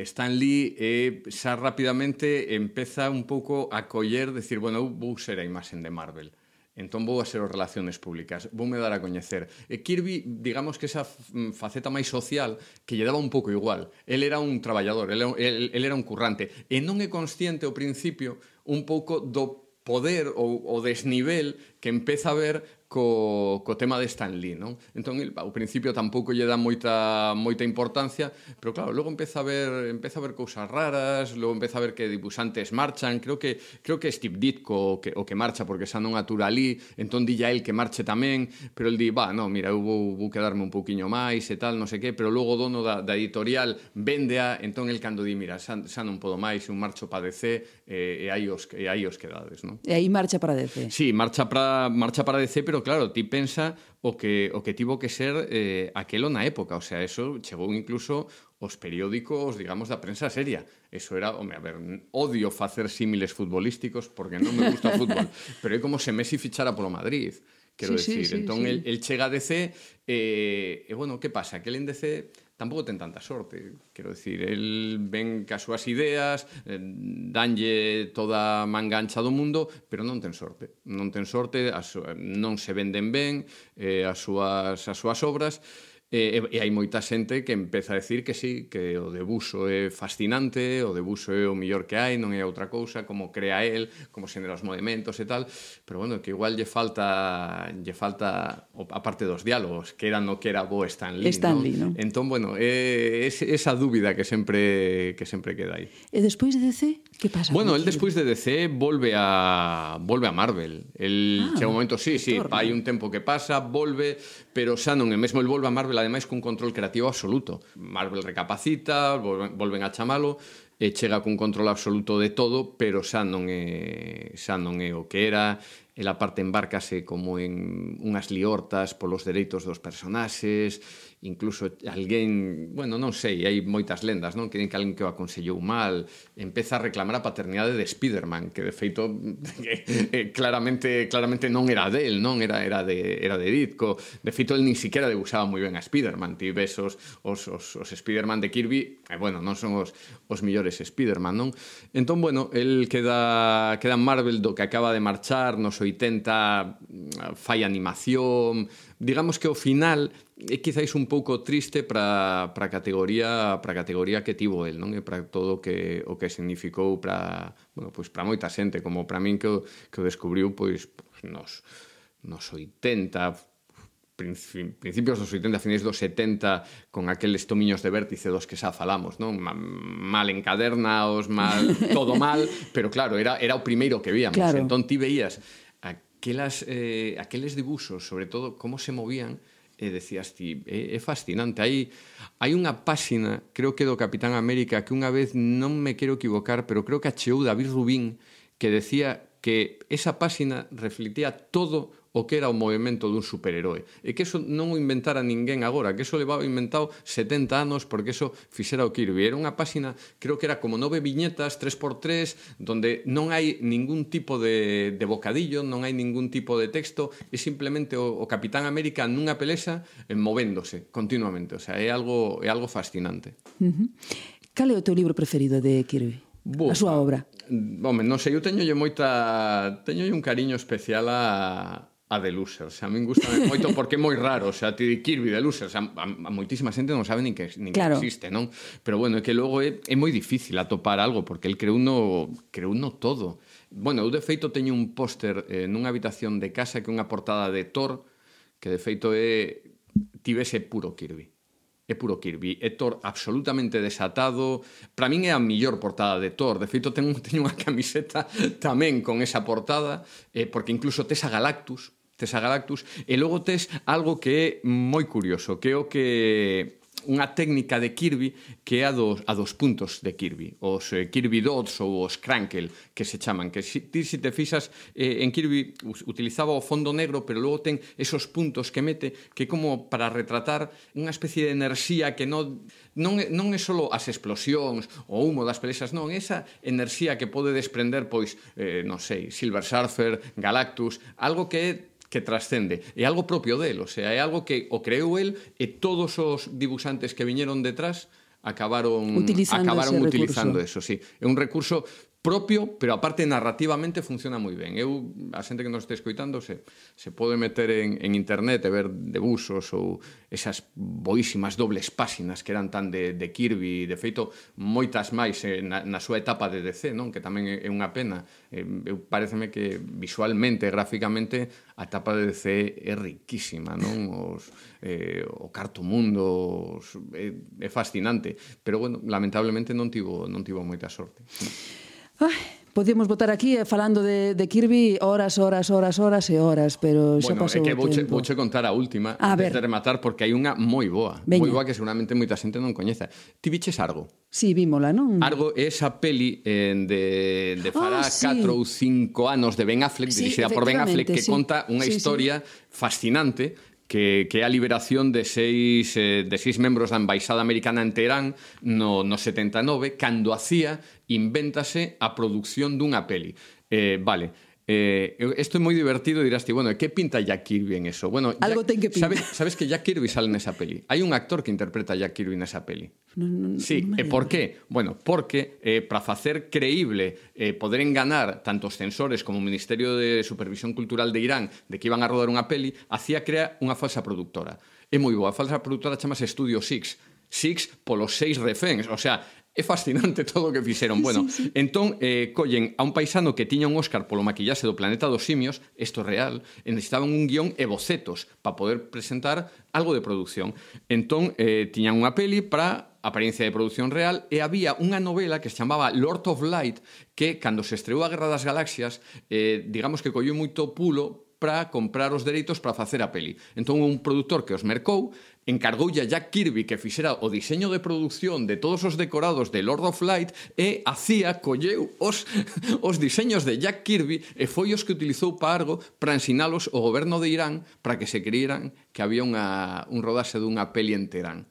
Stan Lee eh, xa rapidamente empeza un pouco a coller, decir, bueno, eu vou ser a imaxen de Marvel. entón vou a ser as relaciones públicas, voume dar a coñecer. E Kirby, digamos que esa faceta máis social que lle daba un pouco igual. El era un traballador, el, el, el era un currante, e non é consciente ao principio un pouco do poder ou o desnivel que empeza a ver co, co tema de Stan Lee, non? Entón, el, ao principio tampouco lle dá moita moita importancia, pero claro, logo empeza a ver empeza a ver cousas raras, logo empeza a ver que dibuixantes marchan, creo que creo que Steve Ditko o que, o que marcha porque xa non atura ali, entón dilla el que marche tamén, pero el di, va, no, mira, eu vou, vou quedarme un pouquiño máis e tal, non sei que, pero logo o dono da, da editorial vendea, entón el cando di, mira, xa, xa non podo máis, un marcho pa D C e, e aí os, e aí os quedades, non? E aí marcha para D C. Sí, marcha para marcha para D C, pero claro, ti pensa o que o que tivo que ser eh, aquelo na época, o sea, eso chegou incluso os periódicos, digamos, da prensa seria. Eso era, home, a ver, odio facer símiles futbolísticos porque non me gusta o fútbol, pero é como se Messi fichara polo Madrid. Quero sí, decir, sí, sí, entón sí. El, el chega a D C e, e bueno, que pasa? Que el en D C tampouco ten tanta sorte, quero decir, el ven cas súas ideas, eh, danlle toda a manga ancha do mundo, pero non ten sorte, non ten sorte, as, non se venden ben eh, as, súas, as súas obras, E, e hai moita xente que empeza a decir que sí, que o debuxo é fascinante, o debuxo é o mellor que hai, non é outra cousa, como crea el, como xenera os movimentos e tal, pero bueno, que igual lle falta lle falta a parte dos diálogos, que era no que era bo Stan Lee, Stan Lee, ¿no? ¿no? Entón, bueno, é esa dúbida que sempre que sempre queda aí. E despois de D C, que pasa? Bueno, el despois de D C volve a volve a Marvel. El Ah, chega un momento, sí, sí, torna. hai un tempo que pasa, volve, pero xa non é mesmo el volve a Marvel, ademais cun control creativo absoluto. Marvel recapacita, volven, volven a chamalo, e chega cun control absoluto de todo, pero xa non é xa non é o que era. Ela parte embárcase como en unhas liortas polos dereitos dos personaxes, incluso alguén, bueno, non sei, hai moitas lendas, non? Que din que alguén que o aconsellou mal, empeza a reclamar a paternidade de Spiderman, que de feito eh, claramente claramente non era del, non? Era era de era de Ditko. De feito el nin siquiera debuxaba moi ben a Spiderman. Ti ves os os os, os Spiderman de Kirby, e bueno, non son os os millores Spiderman, non? Entón, bueno, el queda queda en Marvel do que acaba de marchar nos oitenta, fai animación, digamos que ao final é quizáis un pouco triste para para a categoría para a categoría que tivo el, non? E para todo o que o que significou para, bueno, pois para moita xente, como para min que o, que o descubriu pois nos nos oitenta, principios dos oitenta, finais dos setenta, con aqueles tomiños de vértice dos que xa falamos, non? Mal encadernaos, mal, todo mal, pero claro, era era o primeiro que víamos. Claro. Entón ti veías aquelas, eh, aqueles dibuxos, sobre todo como se movían, e decías ti, é, é fascinante. Hai, hai unha páxina, creo que do Capitán América, que unha vez, non me quero equivocar, pero creo que acheou David Rubín, que decía que esa páxina reflectía todo o que era o movimento dun superheroe. E que eso non o inventara ninguén agora, que eso levaba inventado setenta anos porque eso fixera o Kirby. Era unha páxina, creo que era como nove viñetas, tres por tres, donde non hai ningún tipo de, de bocadillo, non hai ningún tipo de texto, é simplemente o, o Capitán América nunha pelexa eh, movéndose continuamente. O sea, é algo, é algo fascinante. Uh-huh. Cal é o teu libro preferido de Kirby? Bo, a súa obra? Home, non sei, eu teñolle moita... Teñolle un cariño especial a... a The Losers. A min gusta moito porque é moi raro, o sea, ti di Kirby, The Losers, a, a, a moitísima xente non sabe nin que, nin claro. que existe, non? Pero bueno, é que logo é, é moi difícil atopar algo, porque el creou no, creou no todo. Bueno, eu de feito teño un póster eh, nunha habitación de casa que é unha portada de Thor, que de feito é tivese puro Kirby. É puro Kirby, é Thor absolutamente desatado. Para min é a mellor portada de Thor. De feito, teño, teño unha camiseta tamén con esa portada, eh, porque incluso tes a Galactus, tes a Galactus, e logo tes algo que é moi curioso, que é o que... unha técnica de Kirby que é a dos, a dos puntos de Kirby, os eh, Kirby Dots ou os Crankle, que se chaman, que si, ti se te fixas eh, en Kirby utilizaba o fondo negro, pero logo ten esos puntos que mete, que é como para retratar unha especie de enerxía que non, non, é, non é só as explosións o humo das pelexas, non, esa enerxía que pode desprender, pois, eh, non sei, Silver Surfer, Galactus, algo que é que trascende, é algo propio del, o sea, é algo que o creou el e todos os dibuixantes que viñeron detrás acabaron utilizando acabaron ese utilizando recurso. eso, sí. É un recurso propio, pero aparte narrativamente funciona moi ben. Eu, a xente que nos este escoitando, se, se pode meter en, en internet e ver debuxos ou esas boísimas dobles páxinas que eran tan de, de Kirby, de feito, moitas máis eh, na, na súa etapa de D C, non? Que tamén é, é unha pena. Eh, eu pareceme que visualmente, gráficamente, a etapa de D C é riquísima, non? Os, eh, o Carto Mundo os, é, é fascinante, pero, bueno, lamentablemente non tivo, non tivo moita sorte. Ai, podíamos botar aquí eh, falando de, de Kirby horas, horas, horas, horas e horas, pero xa bueno, pasou é que o vouche, tempo. vouche contar a última A antes ver. de rematar, porque hai unha moi boa. Veña. Moi boa que seguramente moita xente non coñeza. Ti viches Argo? Sí, vímola, non? Argo é esa peli eh, de, de fará Ah, sí. catro ou cinco anos de Ben Affleck, Sí, dirixida por Ben Affleck, que efectivamente, sí. conta unha Sí, sí. historia fascinante que, que é a liberación de seis, eh, de seis membros da Embaixada Americana en Teherán no, no setenta e nove, cando a C I A invéntase a produción dunha peli. Eh, vale, Eh, isto é moi divertido, dirás ti, bueno, que pinta Jack Kirby en eso? Bueno, Algo Jack, ten que pintar. sabes, sabes que Jack Kirby sale nesa peli? Hai un actor que interpreta a Jack Kirby nesa peli. No, no, Sí, non me e por lembro. qué? Bueno, porque eh, para facer creíble eh, poder enganar tanto os censores como o Ministerio de Supervisión Cultural de Irán de que iban a rodar unha peli, a C I A crea unha falsa productora. É moi boa, a falsa productora chamase Studio Six. Six polos seis reféns, o sea, é fascinante todo o que fixeron. Bueno, sí, sí. entón, eh, collen a un paisano que tiña un Óscar polo maquillaxe do Planeta dos Simios, isto é real, e necesitaban un guión e bocetos para poder presentar algo de producción. Entón, eh, tiñan unha peli para apariencia de producción real e había unha novela que se chamaba Lord of Light que, cando se estreou a Guerra das Galaxias, eh, digamos que colleu moito pulo para comprar os dereitos para facer a peli. Entón, un produtor que os mercou encargoulle a Jack Kirby que fixera o diseño de produción de todos os decorados de Lord of Light e a C I A colleu os, os diseños de Jack Kirby e foi os que utilizou para Argo para ensinalos ao goberno de Irán para que se creyeran que había unha, un rodaxe dunha peli en Teherán.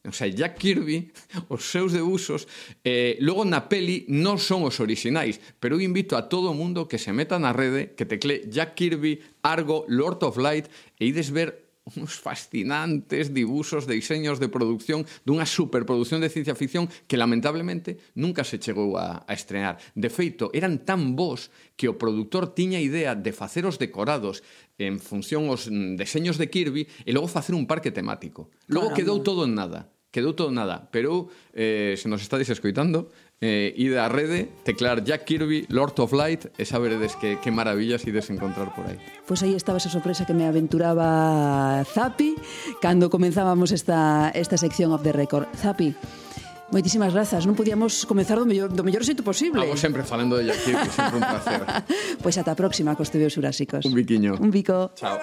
O sea, Jack Kirby, os seus debuxos, eh, logo na peli non son os orixinais, pero eu invito a todo o mundo que se meta na rede, que tecle Jack Kirby, Argo, Lord of Light, e ides ver uns fascinantes dibuxos de diseños de produción dunha superproducción de ciencia ficción que lamentablemente nunca se chegou a, a estrenar. De feito, eran tan bons que o produtor tiña idea de facer os decorados en función aos deseños de Kirby e logo facer un parque temático. Logo Caramba. quedou todo en nada. Quedou todo nada, pero eh, se nos estáis escoitando, eh, ide á rede, teclar Jack Kirby, Lord of Light, e saberedes que, que maravillas ides encontrar por aí. Pois aí estaba esa sorpresa que me aventuraba Zapi cando comenzábamos esta, esta sección of the record. Zapi, moitísimas grazas, non podíamos comezar do mellor, do mellor xeito posible. Vamos sempre falando de Jack Kirby, sempre un placer. Pois ata a próxima cos tebeos Jurásicos. Un biquiño. Un bico. Chao.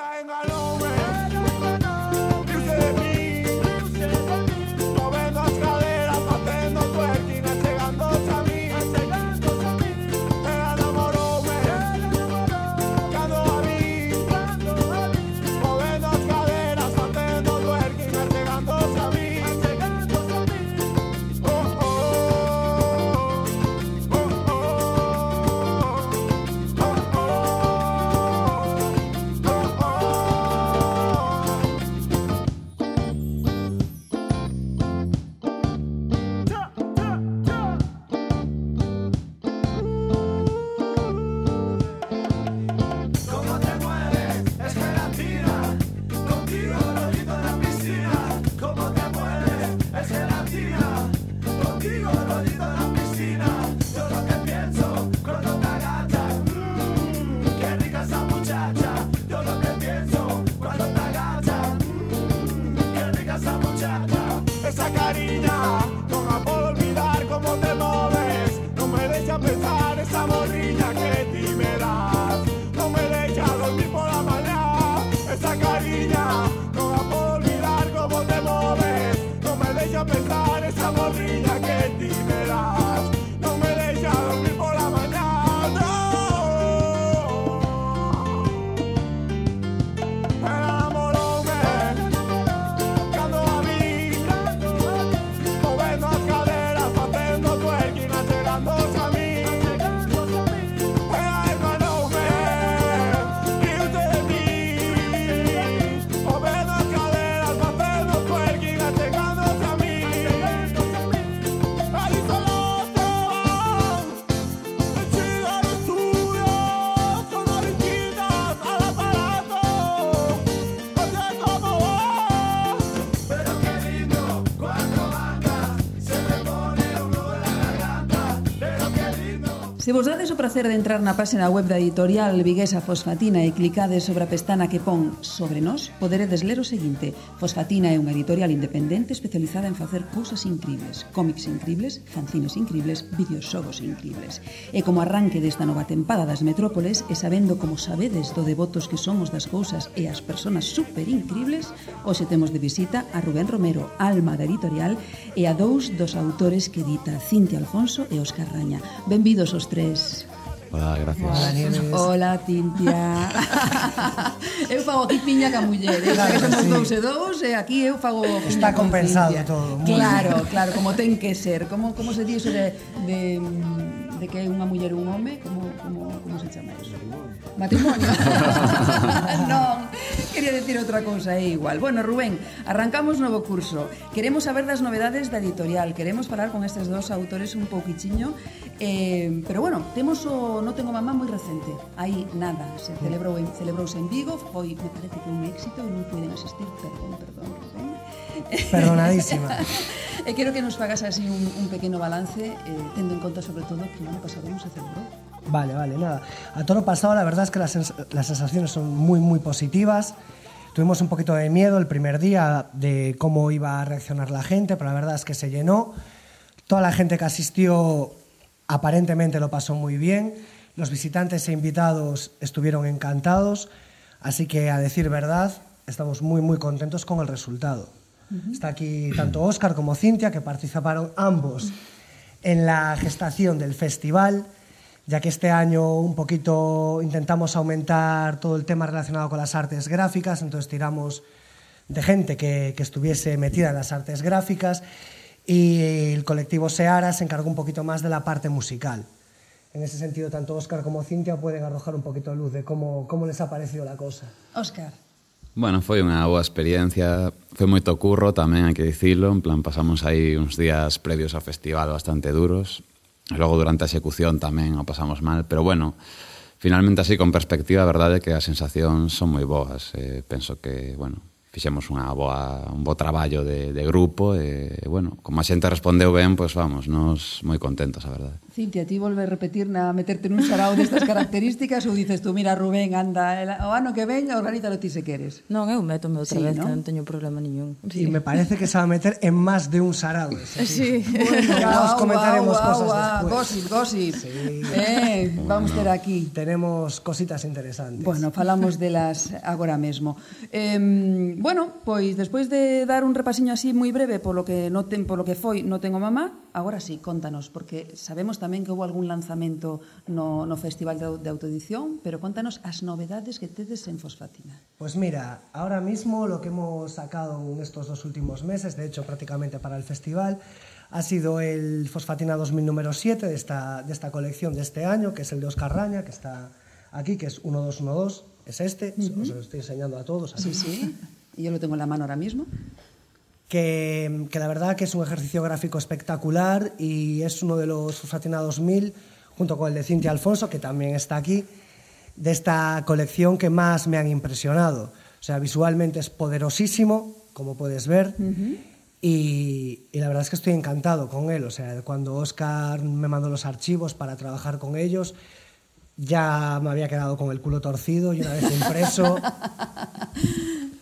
Se vos dades o prazer de entrar na página web da editorial viguesa Fosfatina e clicades sobre a pestana que pon Sobre nós, poderedes ler o seguinte: Fosfatina é unha editorial independente especializada en facer cousas incríveis, cómics incríveis, fanzines incríveis, videoxogos incríveis. E como arranque desta nova tempada das Metrópoles, e sabendo como sabedes do devotos que somos das cousas e as persoas super incríveis, hoxe temos de visita a Rubén Romero, alma da editorial, e a dous dos autores que edita, Cintia Alfonso e Óscar Raña. Benvidos os tres. Hola, gracias. Hola, Cintia. Eu fago aquí piña ca muller, eh? Claro que somos sí. dous e dous, e aquí eu fago piña Está con compensado Cintia. todo. Muy Claro, bien. Claro, como ten que ser. Como, como se di eso de, de, de que é unha muller e un home? Como, como, como se chama eso? Matrimonio. Non, quería decir outra cousa, é igual. Bueno, Rubén, arrancamos novo curso. Queremos saber das novedades da editorial. Queremos falar con estes dos autores un pouquichiño. Eh, pero bueno, temos o No tengo mamá moi recente. Aí nada, se celebrou en, celebrouse en Vigo, foi, me parece que un éxito e non puiden asistir, perdón, perdón, Rubén. Perdonadísima. E quero que nos fagas así un, un pequeno balance, eh, tendo en conta sobre todo que o ano pasado non se celebrou. Vale, vale, nada. A todo pasado la verdad es que las, sens las sensaciones son muy, muy positivas. Tuvimos un poquito de miedo el primer día de cómo iba a reaccionar la gente, pero la verdad es que se llenó. Toda la gente que asistió aparentemente lo pasó muy bien. Los visitantes e invitados estuvieron encantados. Así que, a decir verdad, estamos muy, muy contentos con el resultado. Uh-huh. Está aquí tanto Óscar como Cintia, que participaron ambos en la gestación del festival, ya que este año un poquito intentamos aumentar todo el tema relacionado con las artes gráficas, entonces tiramos de gente que, que estuviese metida en las artes gráficas, y el colectivo Seara se encargó un poquito más de la parte musical. En ese sentido, tanto Óscar como Cintia pueden arrojar un poquito de luz de cómo, cómo les ha parecido la cosa. Óscar. Bueno, foi unha boa experiencia, foi moito curro tamén, hai que dicilo, en plan pasamos aí uns días previos ao festival bastante duros, e logo durante a execución tamén o pasamos mal, pero bueno, finalmente así con perspectiva, a verdade é que as sensacións son moi boas, eh, penso que, bueno, fixemos unha boa, un bo traballo de, de grupo e, bueno, como a xente respondeu ben, pois vamos, nos moi contentos, a verdade. Cintia, ti volve a repetir na meterte nun sarao destas características ou dices tú, mira, Rubén, anda, el, o ano que ven, organízalo ti se queres? Non, eu métome outra Sí, vez, ¿no? que non teño problema niñún. Sí. Y me parece que se va a meter en más de un sarao. Sí. Bueno, ya os comentaremos guau, cosas guau, después. Gossip, gossip. Sí. Eh, vamos ter aquí. Tenemos cositas interesantes. Bueno, falamos delas agora mesmo. Eh, bueno, pois despois de dar un repasiño así moi breve polo que no ten, polo que foi No tengo mamá, agora sí, contanos, porque sabemos tamén que houve algún lanzamento no, no Festival de, de Autoedición, pero contanos as novedades que tedes en Fosfatina. Pues mira, ahora mismo lo que hemos sacado en estos dos últimos meses, de hecho prácticamente para el festival, ha sido el Fosfatina dos mil número siete de esta, de esta colección de este año, que es el de Óscar Raña, que está aquí, que es uno dos uno dos, es este, uh-huh. Os lo estoy enseñando a todos. Aquí. Sí, sí, y yo lo tengo en la mano ahora mismo. Que, que la verdad que es un ejercicio gráfico espectacular y es uno de los Fosfatina dos mil, junto con el de Cintia Alfonso, que también está aquí, de esta colección que más me han impresionado. O sea, visualmente es poderosísimo, como puedes ver, uh-huh. y, y la verdad es que estoy encantado con él. O sea, cuando Óscar me mandó los archivos para trabajar con ellos, ya me había quedado con el culo torcido y una vez impreso...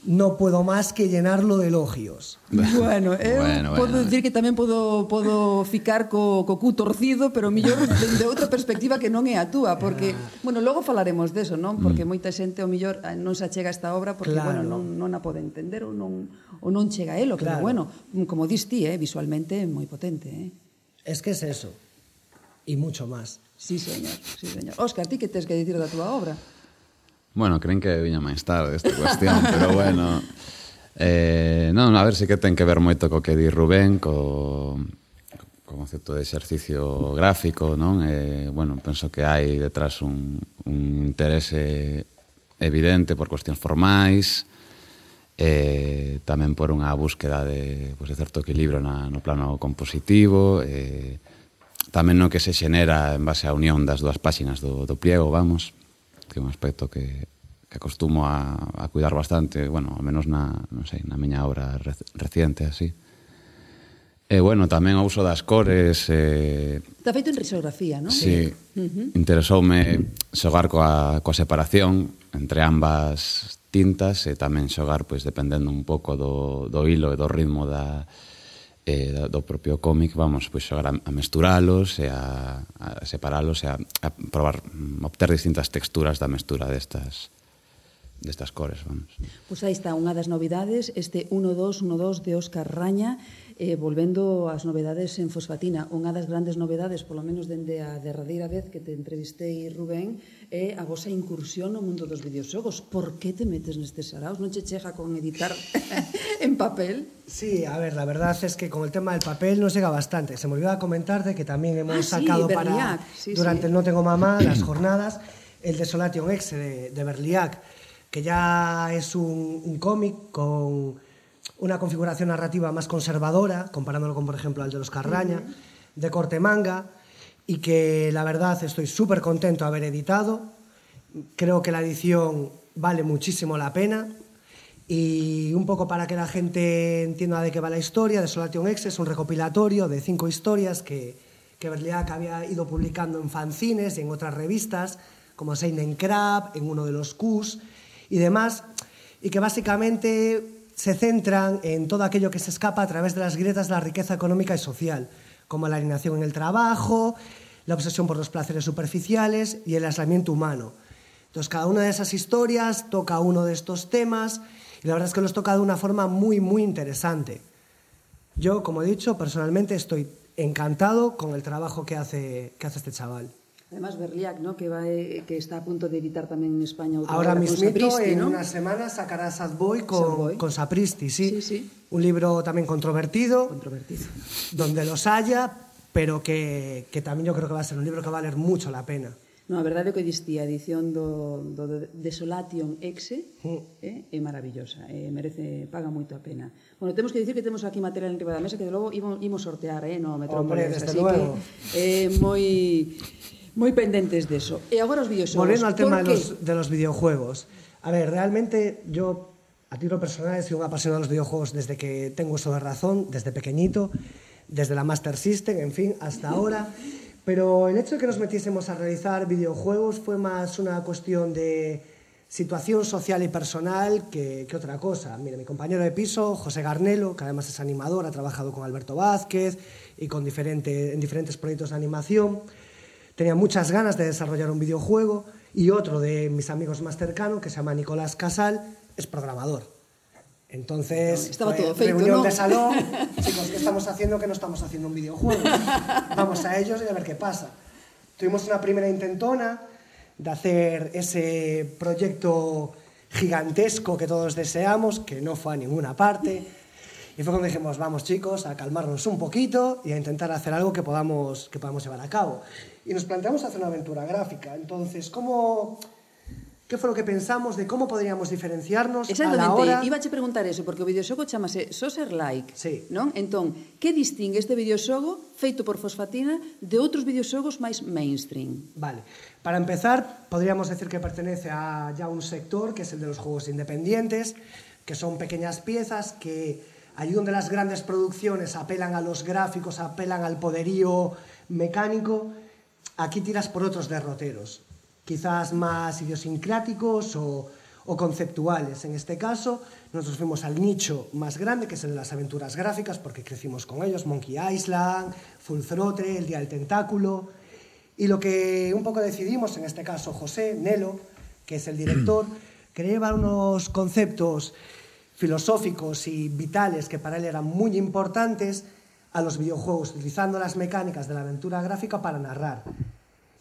no puedo más que llenarlo de elogios. Bueno, eu bueno, podo bueno. dicir que tamén podo, podo ficar co, co cu torcido, pero millor de outra perspectiva que non é a túa, porque, bueno, logo falaremos deso, non? Porque moita xente, o millor, non se achega a esta obra porque, Claro. bueno, non, non a pode entender ou non, ou non chega a elo, pero, Claro. bueno, como dis ti, eh, visualmente moi potente, eh? Es que es eso, y mucho más. Sí, señor, sí, señor. Óscar, ti que tes que dicir da túa obra? Bueno, creen que viña máis tarde esta cuestión, pero bueno, eh, non, a ver, si que ten que ver moito co que di Rubén, co, co concepto de exercicio gráfico, non? Eh, bueno, penso que hai detrás un, un interese evidente por cuestións formais, eh, tamén por unha búsqueda de, pues, de certo equilibrio na, no plano compositivo, eh, tamén no que se xenera en base á unión das dúas páxinas do, do pliego, vamos, que é un aspecto que, que acostumo a, a cuidar bastante, bueno, ao menos na, non sei, na miña obra re, reciente, así. E, bueno, tamén o uso das cores... Eh, Está feito en risografía, non? Sí, uh-huh. Interesoume xogar coa, coa separación entre ambas tintas e tamén xogar, pois, dependendo un pouco do, do hilo e do ritmo da, eh, do propio cómic, vamos, pois, xogar a, a mesturalos e a, a separalos e a, a probar, obter distintas texturas da mestura destas destas cores, vamos. Pois aí está unha das novidades, este uno dos uno dos de Óscar Raña, eh, volvendo ás novedades en fosfatina. Unha das grandes novedades, polo menos dende a derradeira vez que te entrevistei, Rubén, é a vosa incursión no mundo dos videoxogos. Por que te metes nestes saraos? Non che chega con editar en papel? Sí, a ver, la verdad es que con el tema del papel nos llega bastante. Se me olvidaba comentarte que también hemos ah, sí, sacado Berliac. para, sí, durante sí. el No Tengo Mamá, las jornadas, el Desolation X de, de Berliac, que ya es un, un cómic con una configuración narrativa más conservadora, comparándolo con, por ejemplo, al de los Carraña, uh-huh. de corte manga, y que la verdad estoy súper contento de haber editado. Creo que la edición vale muchísimo la pena, y un poco para que la gente entienda de qué va la historia, Desolation X es un recopilatorio de cinco historias que, que Berliac había ido publicando en fanzines y en otras revistas, como Seinen Crab, en uno de los Qs, y demás, y que básicamente se centran en todo aquello que se escapa a través de las grietas de la riqueza económica y social, como la alienación en el trabajo, la obsesión por los placeres superficiales y el aislamiento humano. Entonces, cada una de esas historias toca uno de estos temas, y la verdad es que los toca de una forma muy, muy interesante. Yo, como he dicho, personalmente estoy encantado con el trabajo que hace, que hace este chaval. Además, Berliac, ¿no? que, va, eh, que está a punto de editar tamén en España outra Ahora obra mismito, con Sapristi, en ¿no? una semana sacará Sad Boy con, Sad Boy. con Sapristi, sí. Sí, sí. Un libro también controvertido, Controvertido. donde los haya, pero que, que también yo creo que va a ser un libro que va a valer mucho la pena. No, a verdade é que diste a edición do, do Desolation X Mm. eh, é maravillosa, eh, merece, paga moito a pena. Bueno, temos que dicir que temos aquí material en riba da mesa que de logo imos, imos sortear, eh, no Metrópolis, Hombre, desde así luego. que eh, moi moi pendentes deso. E agora os videoxogos. Volviendo al tema de ¿Por los, de los videojuegos. A ver, realmente yo, a título personal, he sido un apasionado de los videojuegos desde que tengo uso de razón, desde pequeñito, desde la Master System, en fin, hasta ahora. Pero el hecho de que nos metiésemos a realizar videojuegos fue más una cuestión de situación social y personal que, que otra cosa. Mira, mi compañero de piso, José Garnelo, que además es animador, ha trabajado con Alberto Vázquez y con diferente, en diferentes proyectos de animación. Tenía muchas ganas de desarrollar un videojuego, y otro de mis amigos más cercanos, que se llama Nicolás Casal, es programador. Entonces, estaba todo feito, reunión ¿no? de salón, chicos, ¿qué estamos haciendo? Que no estamos haciendo un videojuego. Vamos a ellos y a ver qué pasa. Tuvimos una primera intentona de hacer ese proyecto gigantesco que todos deseamos, que no fue a ninguna parte. Y fue cuando dijimos, vamos chicos, a calmarnos un poquito y a intentar hacer algo que podamos, que podamos llevar a cabo. Y nos planteamos hacer una aventura gráfica. Entonces, ¿cómo, ¿qué fue lo que pensamos de cómo podríamos diferenciarnos a la hora? Iba a preguntar eso, porque o videoxogo chamase Soser Like, Sí. non? Entón, que distingue este videoxogo feito por Fosfatina de outros videoxogos máis mainstream? Vale. Para empezar, podríamos decir que pertenece a ya un sector que es el de los juegos independientes, que son pequeñas piezas que allí donde las grandes producciones apelan a los gráficos, apelan al poderío mecánico, aquí tiras por otros derroteros, quizás más idiosincráticos o, o conceptuales. En este caso, nosotros fuimos al nicho más grande, que es el de las aventuras gráficas, porque crecimos con ellos, Monkey Island, Full Throttle, El Día del Tentáculo, y lo que un poco decidimos, en este caso José Nelo, que es el director, quería llevar unos conceptos filosóficos y vitales que para él eran muy importantes a los videojuegos, utilizando las mecánicas de la aventura gráfica para narrar.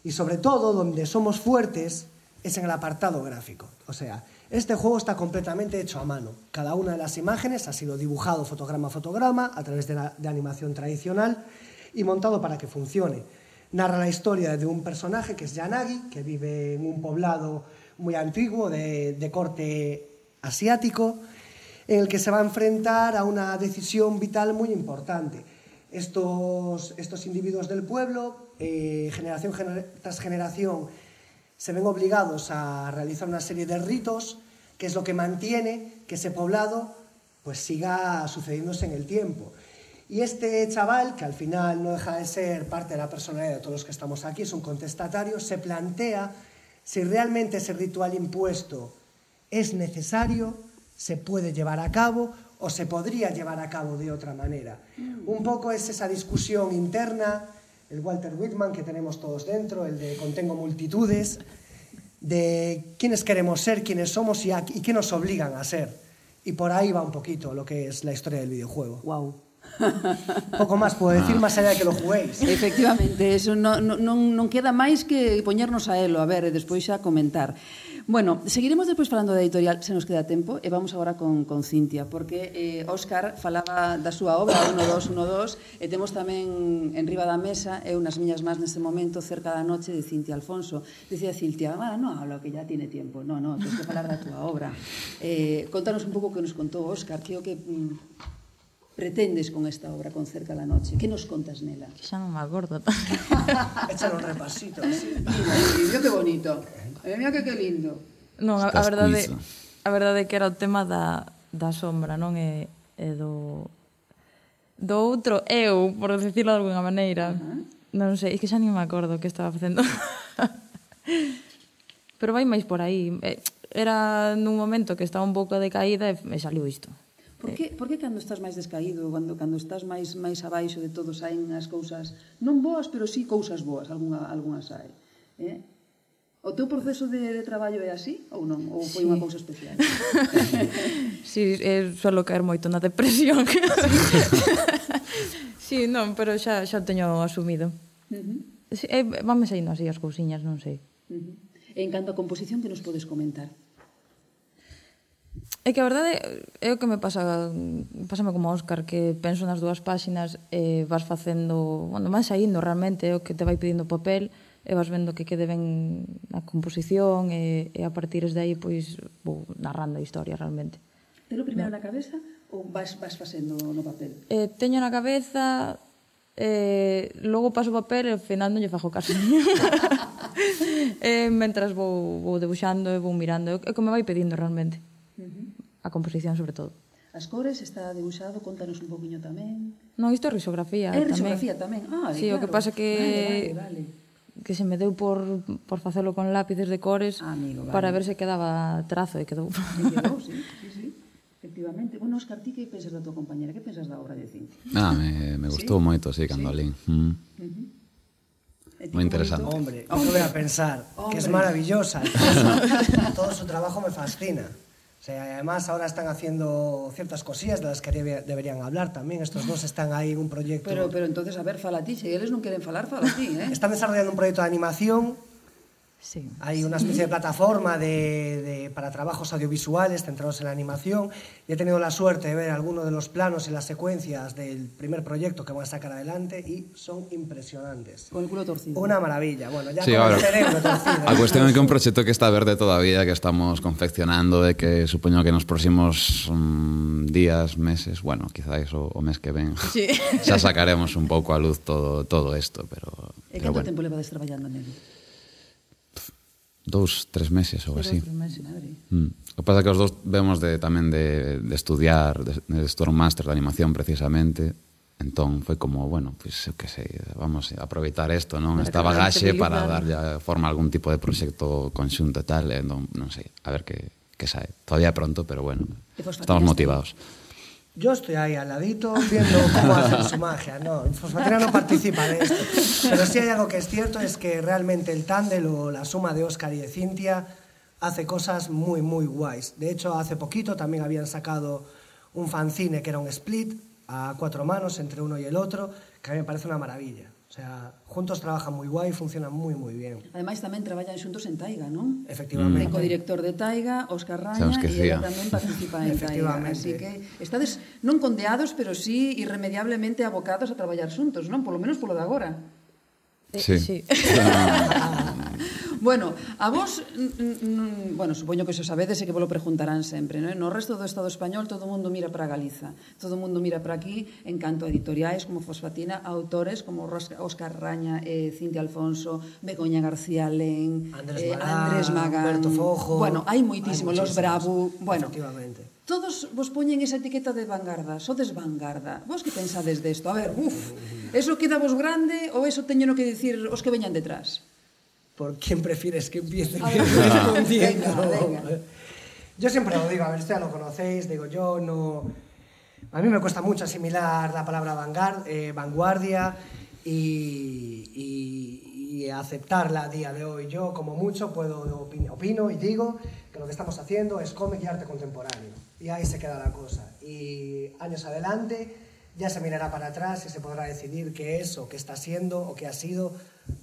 Y sobre todo, donde somos fuertes es en el apartado gráfico. O sea, este juego está completamente hecho a mano. Cada una de las imágenes ha sido dibujado fotograma a fotograma a través de, la, de animación tradicional y montado para que funcione. Narra la historia de un personaje que es Yanagi, que vive en un poblado muy antiguo de, de corte asiático, en el que se va a enfrentar a una decisión vital muy importante. Estos, estos individuos del pueblo, eh, generación gener, tras generación, se ven obligados a realizar una serie de ritos, que es lo que mantiene que ese poblado pues, siga sucediéndose en el tiempo. Y este chaval, que al final no deja de ser parte de la personalidad de todos los que estamos aquí, es un contestatario, se plantea si realmente ese ritual impuesto es necesario, se puede llevar a cabo o se podría llevar a cabo de otra manera. Un poco es esa discusión interna, el Walter Whitman que tenemos todos dentro, el de contengo multitudes, de quiénes queremos ser, quiénes somos y, a, y qué nos obligan a ser. Y por ahí va un poquito lo que es la historia del videojuego. Wow. Poco máis puedo decir, máis allá de que lo juguéis. Efectivamente, eso non, non, non queda máis que poñernos a elo, a ver, e despois xa comentar. Bueno, seguiremos despois falando da editorial, se nos queda tempo, e vamos agora con, con Cintia, porque eh, Óscar falaba da súa obra, uno, dos, uno, dos, e temos tamén en riba da mesa, e unas miñas máis neste momento, Cerca da noche, de Cintia Alfonso. Dicía Cintia, ah, no hablo, que ya tiene tiempo. No, no, tens que falar da túa obra. Eh, contanos un pouco que nos contou Óscar, que o que... Mm, pretendes con esta obra, con Cerca da noche? Que nos contas nela? Que xa non me acordo. Échale un repasito. Así. Mira, mira que bonito. Eh, mira que que lindo. Non, a, a verdade a verdade que era o tema da, da sombra, non? E, e do do outro eu, por decirlo de alguna maneira. Uh-huh. Non sei, é que xa non me acordo que estaba facendo. Pero vai máis por aí. Era nun momento que estaba un pouco decaída e me saliu isto. Por que, por que cando estás máis descaído, cando, cando estás máis máis abaixo de todo, saen as cousas non boas, pero sí cousas boas, algunha, algunha sae? Eh? O teu proceso de, de traballo é así ou non? Ou foi sí. unha cousa especial? Sí, eh, suelo caer moito na depresión. Sí, non, pero xa, xa o teño asumido. Uh-huh. Sí, eh, vanme saindo así as cousiñas, non sei. Uh-huh. E en canto a composición, que nos podes comentar? É que a verdade é o que me pasa, pásame como Óscar, que penso nas dúas páxinas e vas facendo, bueno, vas saindo realmente, é o que te vai pedindo o papel e vas vendo que quede ben a composición e, e a partir de aí pois vou narrando a historia realmente. Telo primeiro na cabeza ou vas, vas facendo no papel? Eh, teño na cabeza, eh, logo paso o papel e ao final non lle fago caso. E mentras vou, vou debuxando e vou mirando, é o que me vai pedindo realmente. A composición, sobre todo. As cores, está debuxado, contanos un poquinho tamén. Non, isto é risografía. É risografía tamén. Ah, sí, claro. O que pasa que vale, vale, que se me deu por, por facelo con lápices de cores ah, amigo, vale. Para ver se quedaba trazo e quedou. E quedou, sí, sí, sí. Efectivamente. Bueno, Óscar, ti que pensas da tua compañera? Que pensas da obra de Cintia? Ah, me, me gustou ¿Sí? moito, sí, cando ¿Sí? alín. Mm. Uh-huh. Moi interesante. Hombre, ¿qué voy a pensar? Hombre. Que es maravillosa. Todo su trabajo me fascina. O sea, además ahora están haciendo ciertas cosillas de las que debe, deberían hablar también. Estos dos están ahí en un proyecto... Pero, pero entonces, a ver, fala ti. Si eles non queren falar, fala ti, ¿eh? Están desarrollando un proyecto de animación. Sí. Hay una especie de plataforma de, de, para trabajos audiovisuales centrados en la animación. Y he tenido la suerte de ver algunos de los planos y las secuencias del primer proyecto que van a sacar adelante y son impresionantes. Con el culo torcido. Una maravilla. Bueno, ya sí, con ahora, el cerebro torcido. A cuestión é que un proxecto que está verde todavía, que estamos confeccionando, de que supoño que nos próximos um, días, meses, bueno, quizás o, o mes que ven, sí. xa sacaremos un pouco a luz todo, todo isto, pero... E pero canto bueno. tempo levades traballando nele? Dous, tres meses ou así. Tres meses, madre. Mm. O que pasa é que os dous vemos de, tamén de, de estudiar, de, de estudar un máster de animación precisamente, entón foi como, bueno, pois, pues, eu que sei, vamos a aproveitar isto, non? Esta bagaxe para darlle forma a algún tipo de proxecto conxunto e tal, e non, non sei, a ver que, que sae. Todavía pronto, pero bueno, estamos motivados. Yo estoy ahí al ladito viendo cómo hacen su magia. No, Fosfatina no participa de esto. Pero sí hay algo que es cierto, es que realmente el tándem o la suma de Óscar y de Cintia hace cosas muy, muy guays. De hecho, hace poquito también habían sacado un fanzine que era un split a cuatro manos entre uno y el otro, que a mí me parece una maravilla. O sea, juntos trabajan muy guay, funcionan muy, muy bien. Ademais, tamén traballan xuntos en Taiga, non? Efectivamente. Mm. O director de Taiga, Óscar Raña, e ela tamén participa en Taiga. Así que estades non condeados, pero sí irremediablemente abocados a traballar xuntos, non? Por lo menos polo de agora. Sí. sí. Bueno, a vos, bueno, supoño que se sabedes e que vos lo preguntarán sempre, non? No resto do Estado español todo o mundo mira para Galiza, todo o mundo mira para aquí en canto a editoriais como Fosfatina, autores como Óscar Raña, eh, Cintia Alfonso, Begoña García Len, Andrés, eh, Magán, Andrés Magán, Alberto Fojo. bueno, hai moitísimo, Los Bravo, bueno, Todos vos poñen esa etiqueta de vanguarda, sodes vanguarda. Vos que pensades desto? A ver, uf, eso queda vos grande ou eso teño no que dicir os que veñan detrás? ¿Por quién prefieres que empiece respondiendo? Venga, venga. Yo siempre lo digo, a ver, esto ya lo conocéis, digo yo, no... A mí me cuesta mucho asimilar la palabra vanguard, eh, vanguardia y, y, y aceptarla a día de hoy. Yo, como mucho, puedo opino, opino y digo que lo que estamos haciendo es cómic y arte contemporáneo. Y ahí se queda la cosa. Y años adelante ya se mirará para atrás y se podrá decidir qué es o qué está siendo o qué ha sido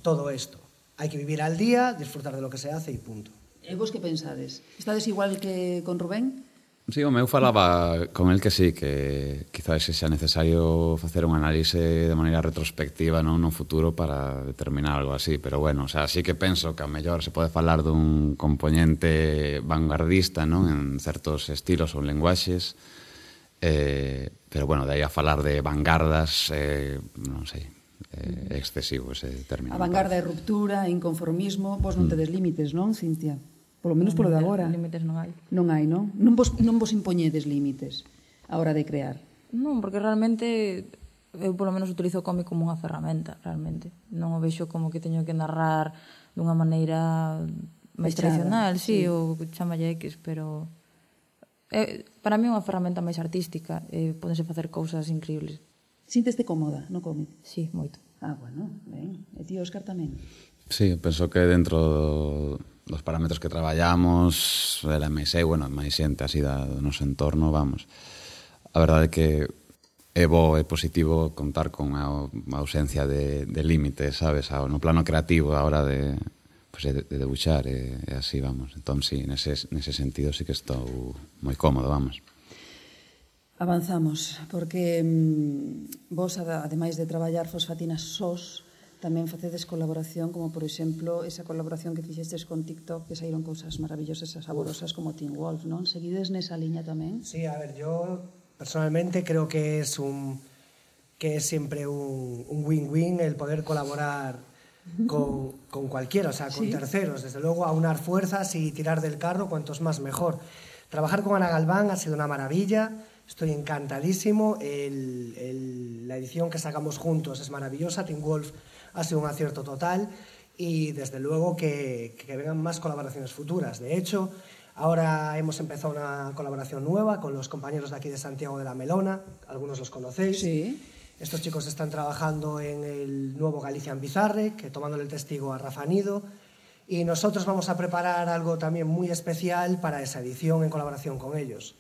todo esto. Hay que vivir al día, disfrutar de lo que se hace y punto. E vos que pensades? Estades igual que con Rubén? Sí, o meu falaba con el que sí, que quizás sexa necesario facer un análise de maneira retrospectiva non no futuro para determinar algo así, pero bueno, o sea, sí que penso que a mellor se pode falar dun componente vanguardista, non, en certos estilos ou lenguaxes, eh, pero bueno, de aí a falar de vanguardas, eh, non sei, é eh, excesivo ese término. A vanguarda é ruptura, inconformismo, vos non tedes límites, non, Cintia? Polo menos polo de agora. Límites non hai. Non hai, non? Non vos, non vos impoñedes límites a hora de crear. Non, porque realmente eu polo menos utilizo o cómic como unha ferramenta, realmente. Non o vexo como que teño que narrar dunha maneira máis Fechada, tradicional, sí, sí. ou chamalle X, pero é, para mí é unha ferramenta máis artística e podense facer cousas increíbles. Sinteste cómoda no cómic? Sí, moito. Ah, bueno, ben. E ti, Óscar, tamén? Sí, penso que dentro do, dos parámetros que traballamos, ela máis eu, bueno, máis xente así da, do noso entorno, vamos. A verdade é que é bo, é positivo contar con a, a ausencia de, de límites, sabes, a, no plano creativo a hora de, pues, de, de debuxar, e, e así, vamos. Entón, sí, nese, nese sentido sí que estou moi cómodo, vamos. Avanzamos, porque mm, vos, ademais de traballar fosfatinas sós, tamén facedes colaboración, como por exemplo esa colaboración que fixestes con TikTok, que saíron cousas maravillosas e saborosas como Teen Wolf, non? Seguides nesa liña tamén? Sí, a ver, yo personalmente creo que es un que es siempre un, un win-win el poder colaborar con, con cualquiera, o sea, con ¿sí? terceros. Desde luego, aunar fuerzas y tirar del carro, cuantos más mejor. Trabajar con Ana Galván ha sido una maravilla. Estoy encantadísimo. El, el, la edición que sacamos juntos es maravillosa. Teen Wolf ha sido un acierto total y desde luego que, que vengan más colaboraciones futuras. De hecho, ahora hemos empezado una colaboración nueva con los compañeros de aquí de Santiago de la Melona, algunos los conocéis. Sí. Estos chicos están trabajando en el nuevo Galician Bizarre, que tomándole el testigo a Rafa Nido, y nosotros vamos a preparar algo también muy especial para esa edición en colaboración con ellos.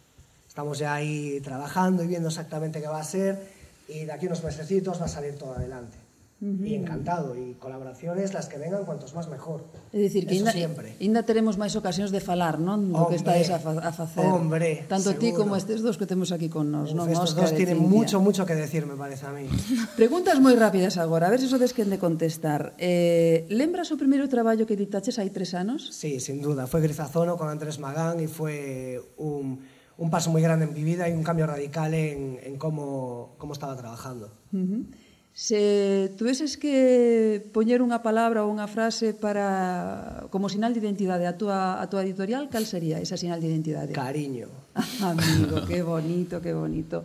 Estamos ya ahí trabajando y viendo exactamente qué va a ser, y de aquí unos mesecitos va a salir todo adelante. Uh-huh. Y encantado, y colaboraciones las que vengan cuantos más mejor. É dicir, que Eso ainda, siempre. ainda teremos máis ocasións de falar, non? Do que estáis a, fa a facer. Hombre, tanto seguro. ti como estes dos que temos aquí con nos, non? Estos Óscar dos e tienen Cintia. mucho, mucho que decir, me parece a mí. Preguntas moi rápidas agora, a ver se sodes quen de contestar. Eh, lembras o primeiro traballo que editaches hai tres anos? Sí, sin duda. Fue Grizazono con Andrés Magán y fue un, un paso muy grande en mi vida y un cambio radical en, en cómo, cómo estaba trabajando. Uh-huh. Se tuveses que poñer unha palabra ou unha frase para como sinal de identidade a túa, a túa editorial, cal sería esa sinal de identidade? Cariño. Amigo, que bonito, que bonito.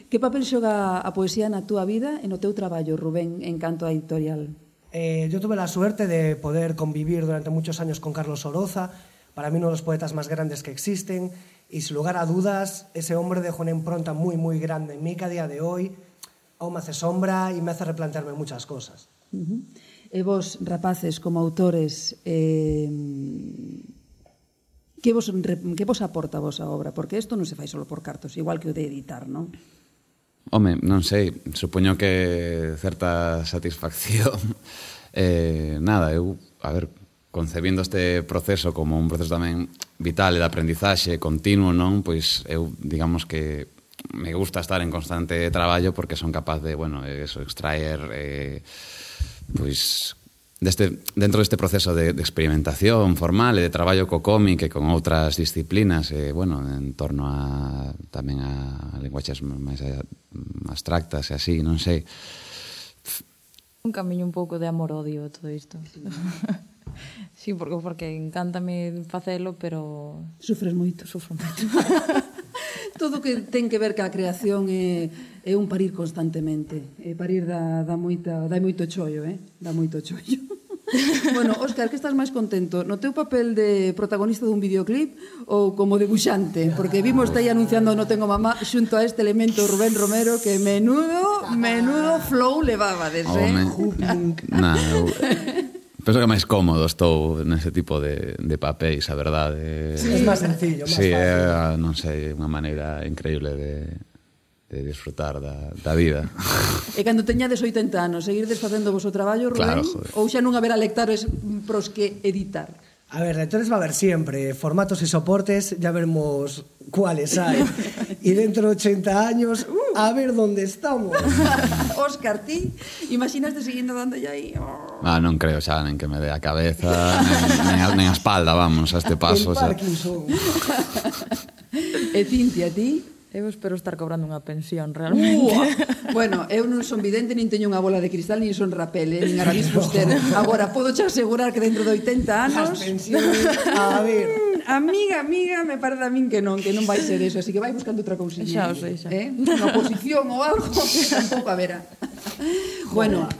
Que papel xoga a poesía na túa vida e no teu traballo, Rubén, en canto a editorial? Eh, yo tuve la suerte de poder convivir durante muchos años con Carlos Oroza, para mí uno de los poetas más grandes que existen, y sin lugar a dudas, ese hombre dejó una impronta muy, muy grande en mí que a día de hoy aún me hace sombra y me hace replantearme muchas cosas. Uh-huh. E vos, rapaces, como autores, eh, que, vos, que vos aporta a vosa obra? Porque isto non se fai solo por cartos, igual que o de editar, non? Home, non sei, supoño que certa satisfacción. eh, nada, eu, a ver, concebindo este proceso como un proceso tamén vital e de aprendizaxe continuo, non? Pois eu, digamos que me gusta estar en constante traballo porque son capaz de, bueno, eso, extraer eh, pois deste, dentro deste proceso de, de experimentación formal e de traballo co cómic e con outras disciplinas e, bueno, en torno a tamén a linguaxes máis abstractas e así, non sei. Un camiño un pouco de amor-odio todo isto. Sí, porque, porque encántame facelo, pero... Sufres moito. Sufro moito. Todo que ten que ver ca creación é, é un parir constantemente. E parir dá, dá, moita, dá moito chollo, eh? Dá moito chollo. Bueno, Óscar, que estás máis contento? No teu papel de protagonista dun videoclip ou como debuxante? Porque vimos aí anunciando No Tengo Mamá xunto a este elemento Rubén Romero que menudo, menudo flow levabades, eh? Nah, eu... Penso que máis cómodo estou nese tipo de, de papéis, a verdade. Sí, é máis sencillo, máis sí, fácil. É, non sei, unha maneira increíble de, de disfrutar da, da vida. E cando teñades oitenta anos, seguirdes facendo vos o traballo, Rubén? Claro, joder. Ou xa non haberá lectores pros que editar? A ver, lectores va a haber siempre, formatos y soportes, ya veremos cuáles hay. Y dentro de ochenta años, a ver dónde estamos. Óscar, ti, imaginaste seguindo dando aí? Oh. Ah, non creo xa nen que me dé a cabeza, nen, nen, a, nen a espalda, vamos, a este paso. El Parkinson. E Cintia, ti? Eu espero estar cobrando unha pensión, realmente. Uh, bueno, eu non son vidente, nin teño unha bola de cristal, nin son rapel, eh, nin Aramis Fuster. Agora, podo xa asegurar que dentro de oitenta anos... As pensiones, a ver... Amiga, amiga, me parece a min que non, que non vai ser eso, así que vai buscando outra cousinha. Xa o sei, xa. Eh? Unha posición ou algo, que tampouco haberá. Bueno,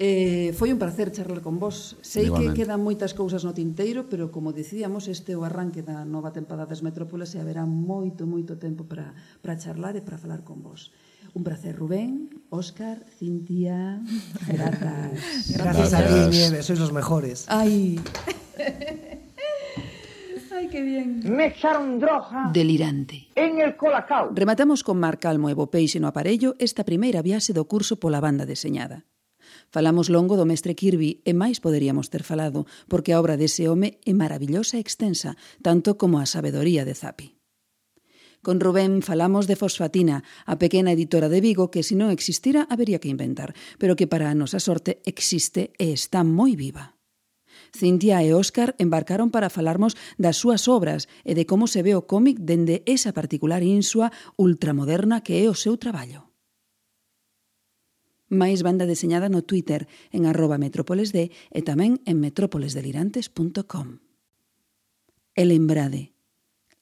eh, foi un placer charlar con vos. Sei Igualmente. que quedan moitas cousas no tinteiro, pero como dicíamos, este é o arranque da nova tempada das Metrópoles e haberá moito, moito tempo para, para charlar e para falar con vos. Un placer, Rubén, Óscar, Cintia, grazas. Gracias a ti, Nieves, sois los mejores. Ai... Ai, que bien. Me echaron droga Delirante. en el Colacao. Rematamos con Mar Calmo e Bo Peixe no aparello esta primeira viaxe do curso pola banda deseñada. Falamos longo do mestre Kirby e máis poderíamos ter falado, porque a obra dese home é maravillosa e extensa, tanto como a sabedoría de Zapi. Con Rubén falamos de Fosfatina, a pequena editora de Vigo que se non existira habería que inventar, pero que para a nosa sorte existe e está moi viva. Cintia e Óscar embarcaron para falarmos das súas obras e de como se ve o cómic dende esa particular insua ultramoderna que é o seu traballo. Máis banda deseñada no Twitter en arroba metrópolesd e tamén en metrópoles delirantes punto com. E lembrade,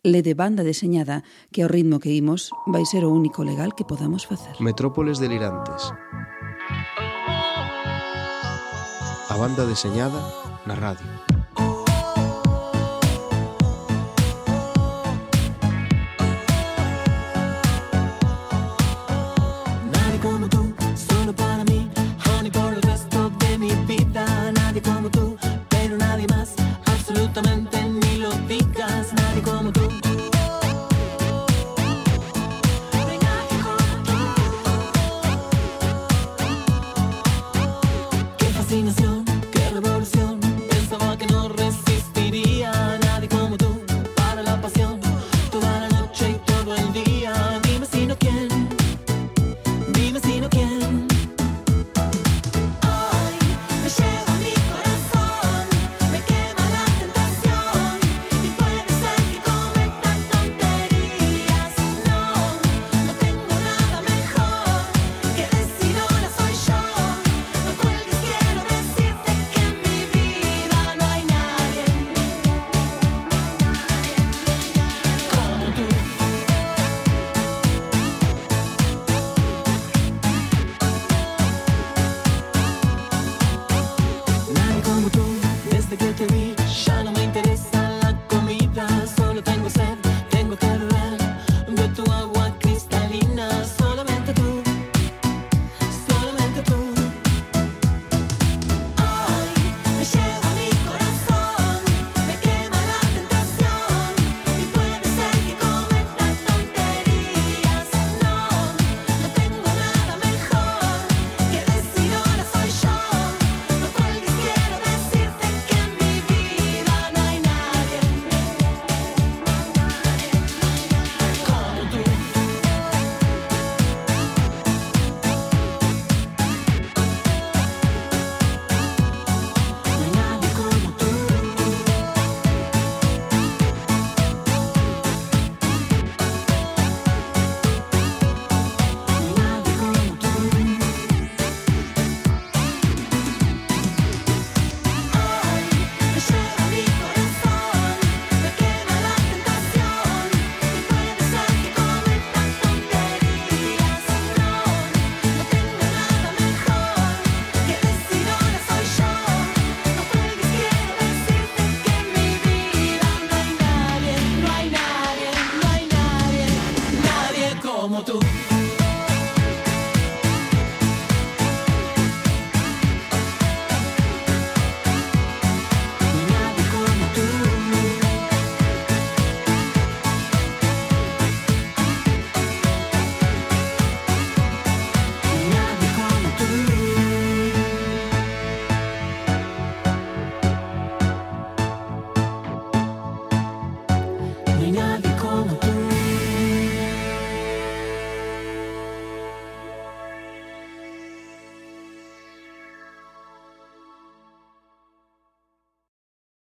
le de banda deseñada que ao ritmo que imos vai ser o único legal que podamos facer. Metrópoles delirantes. A banda deseñada na radio.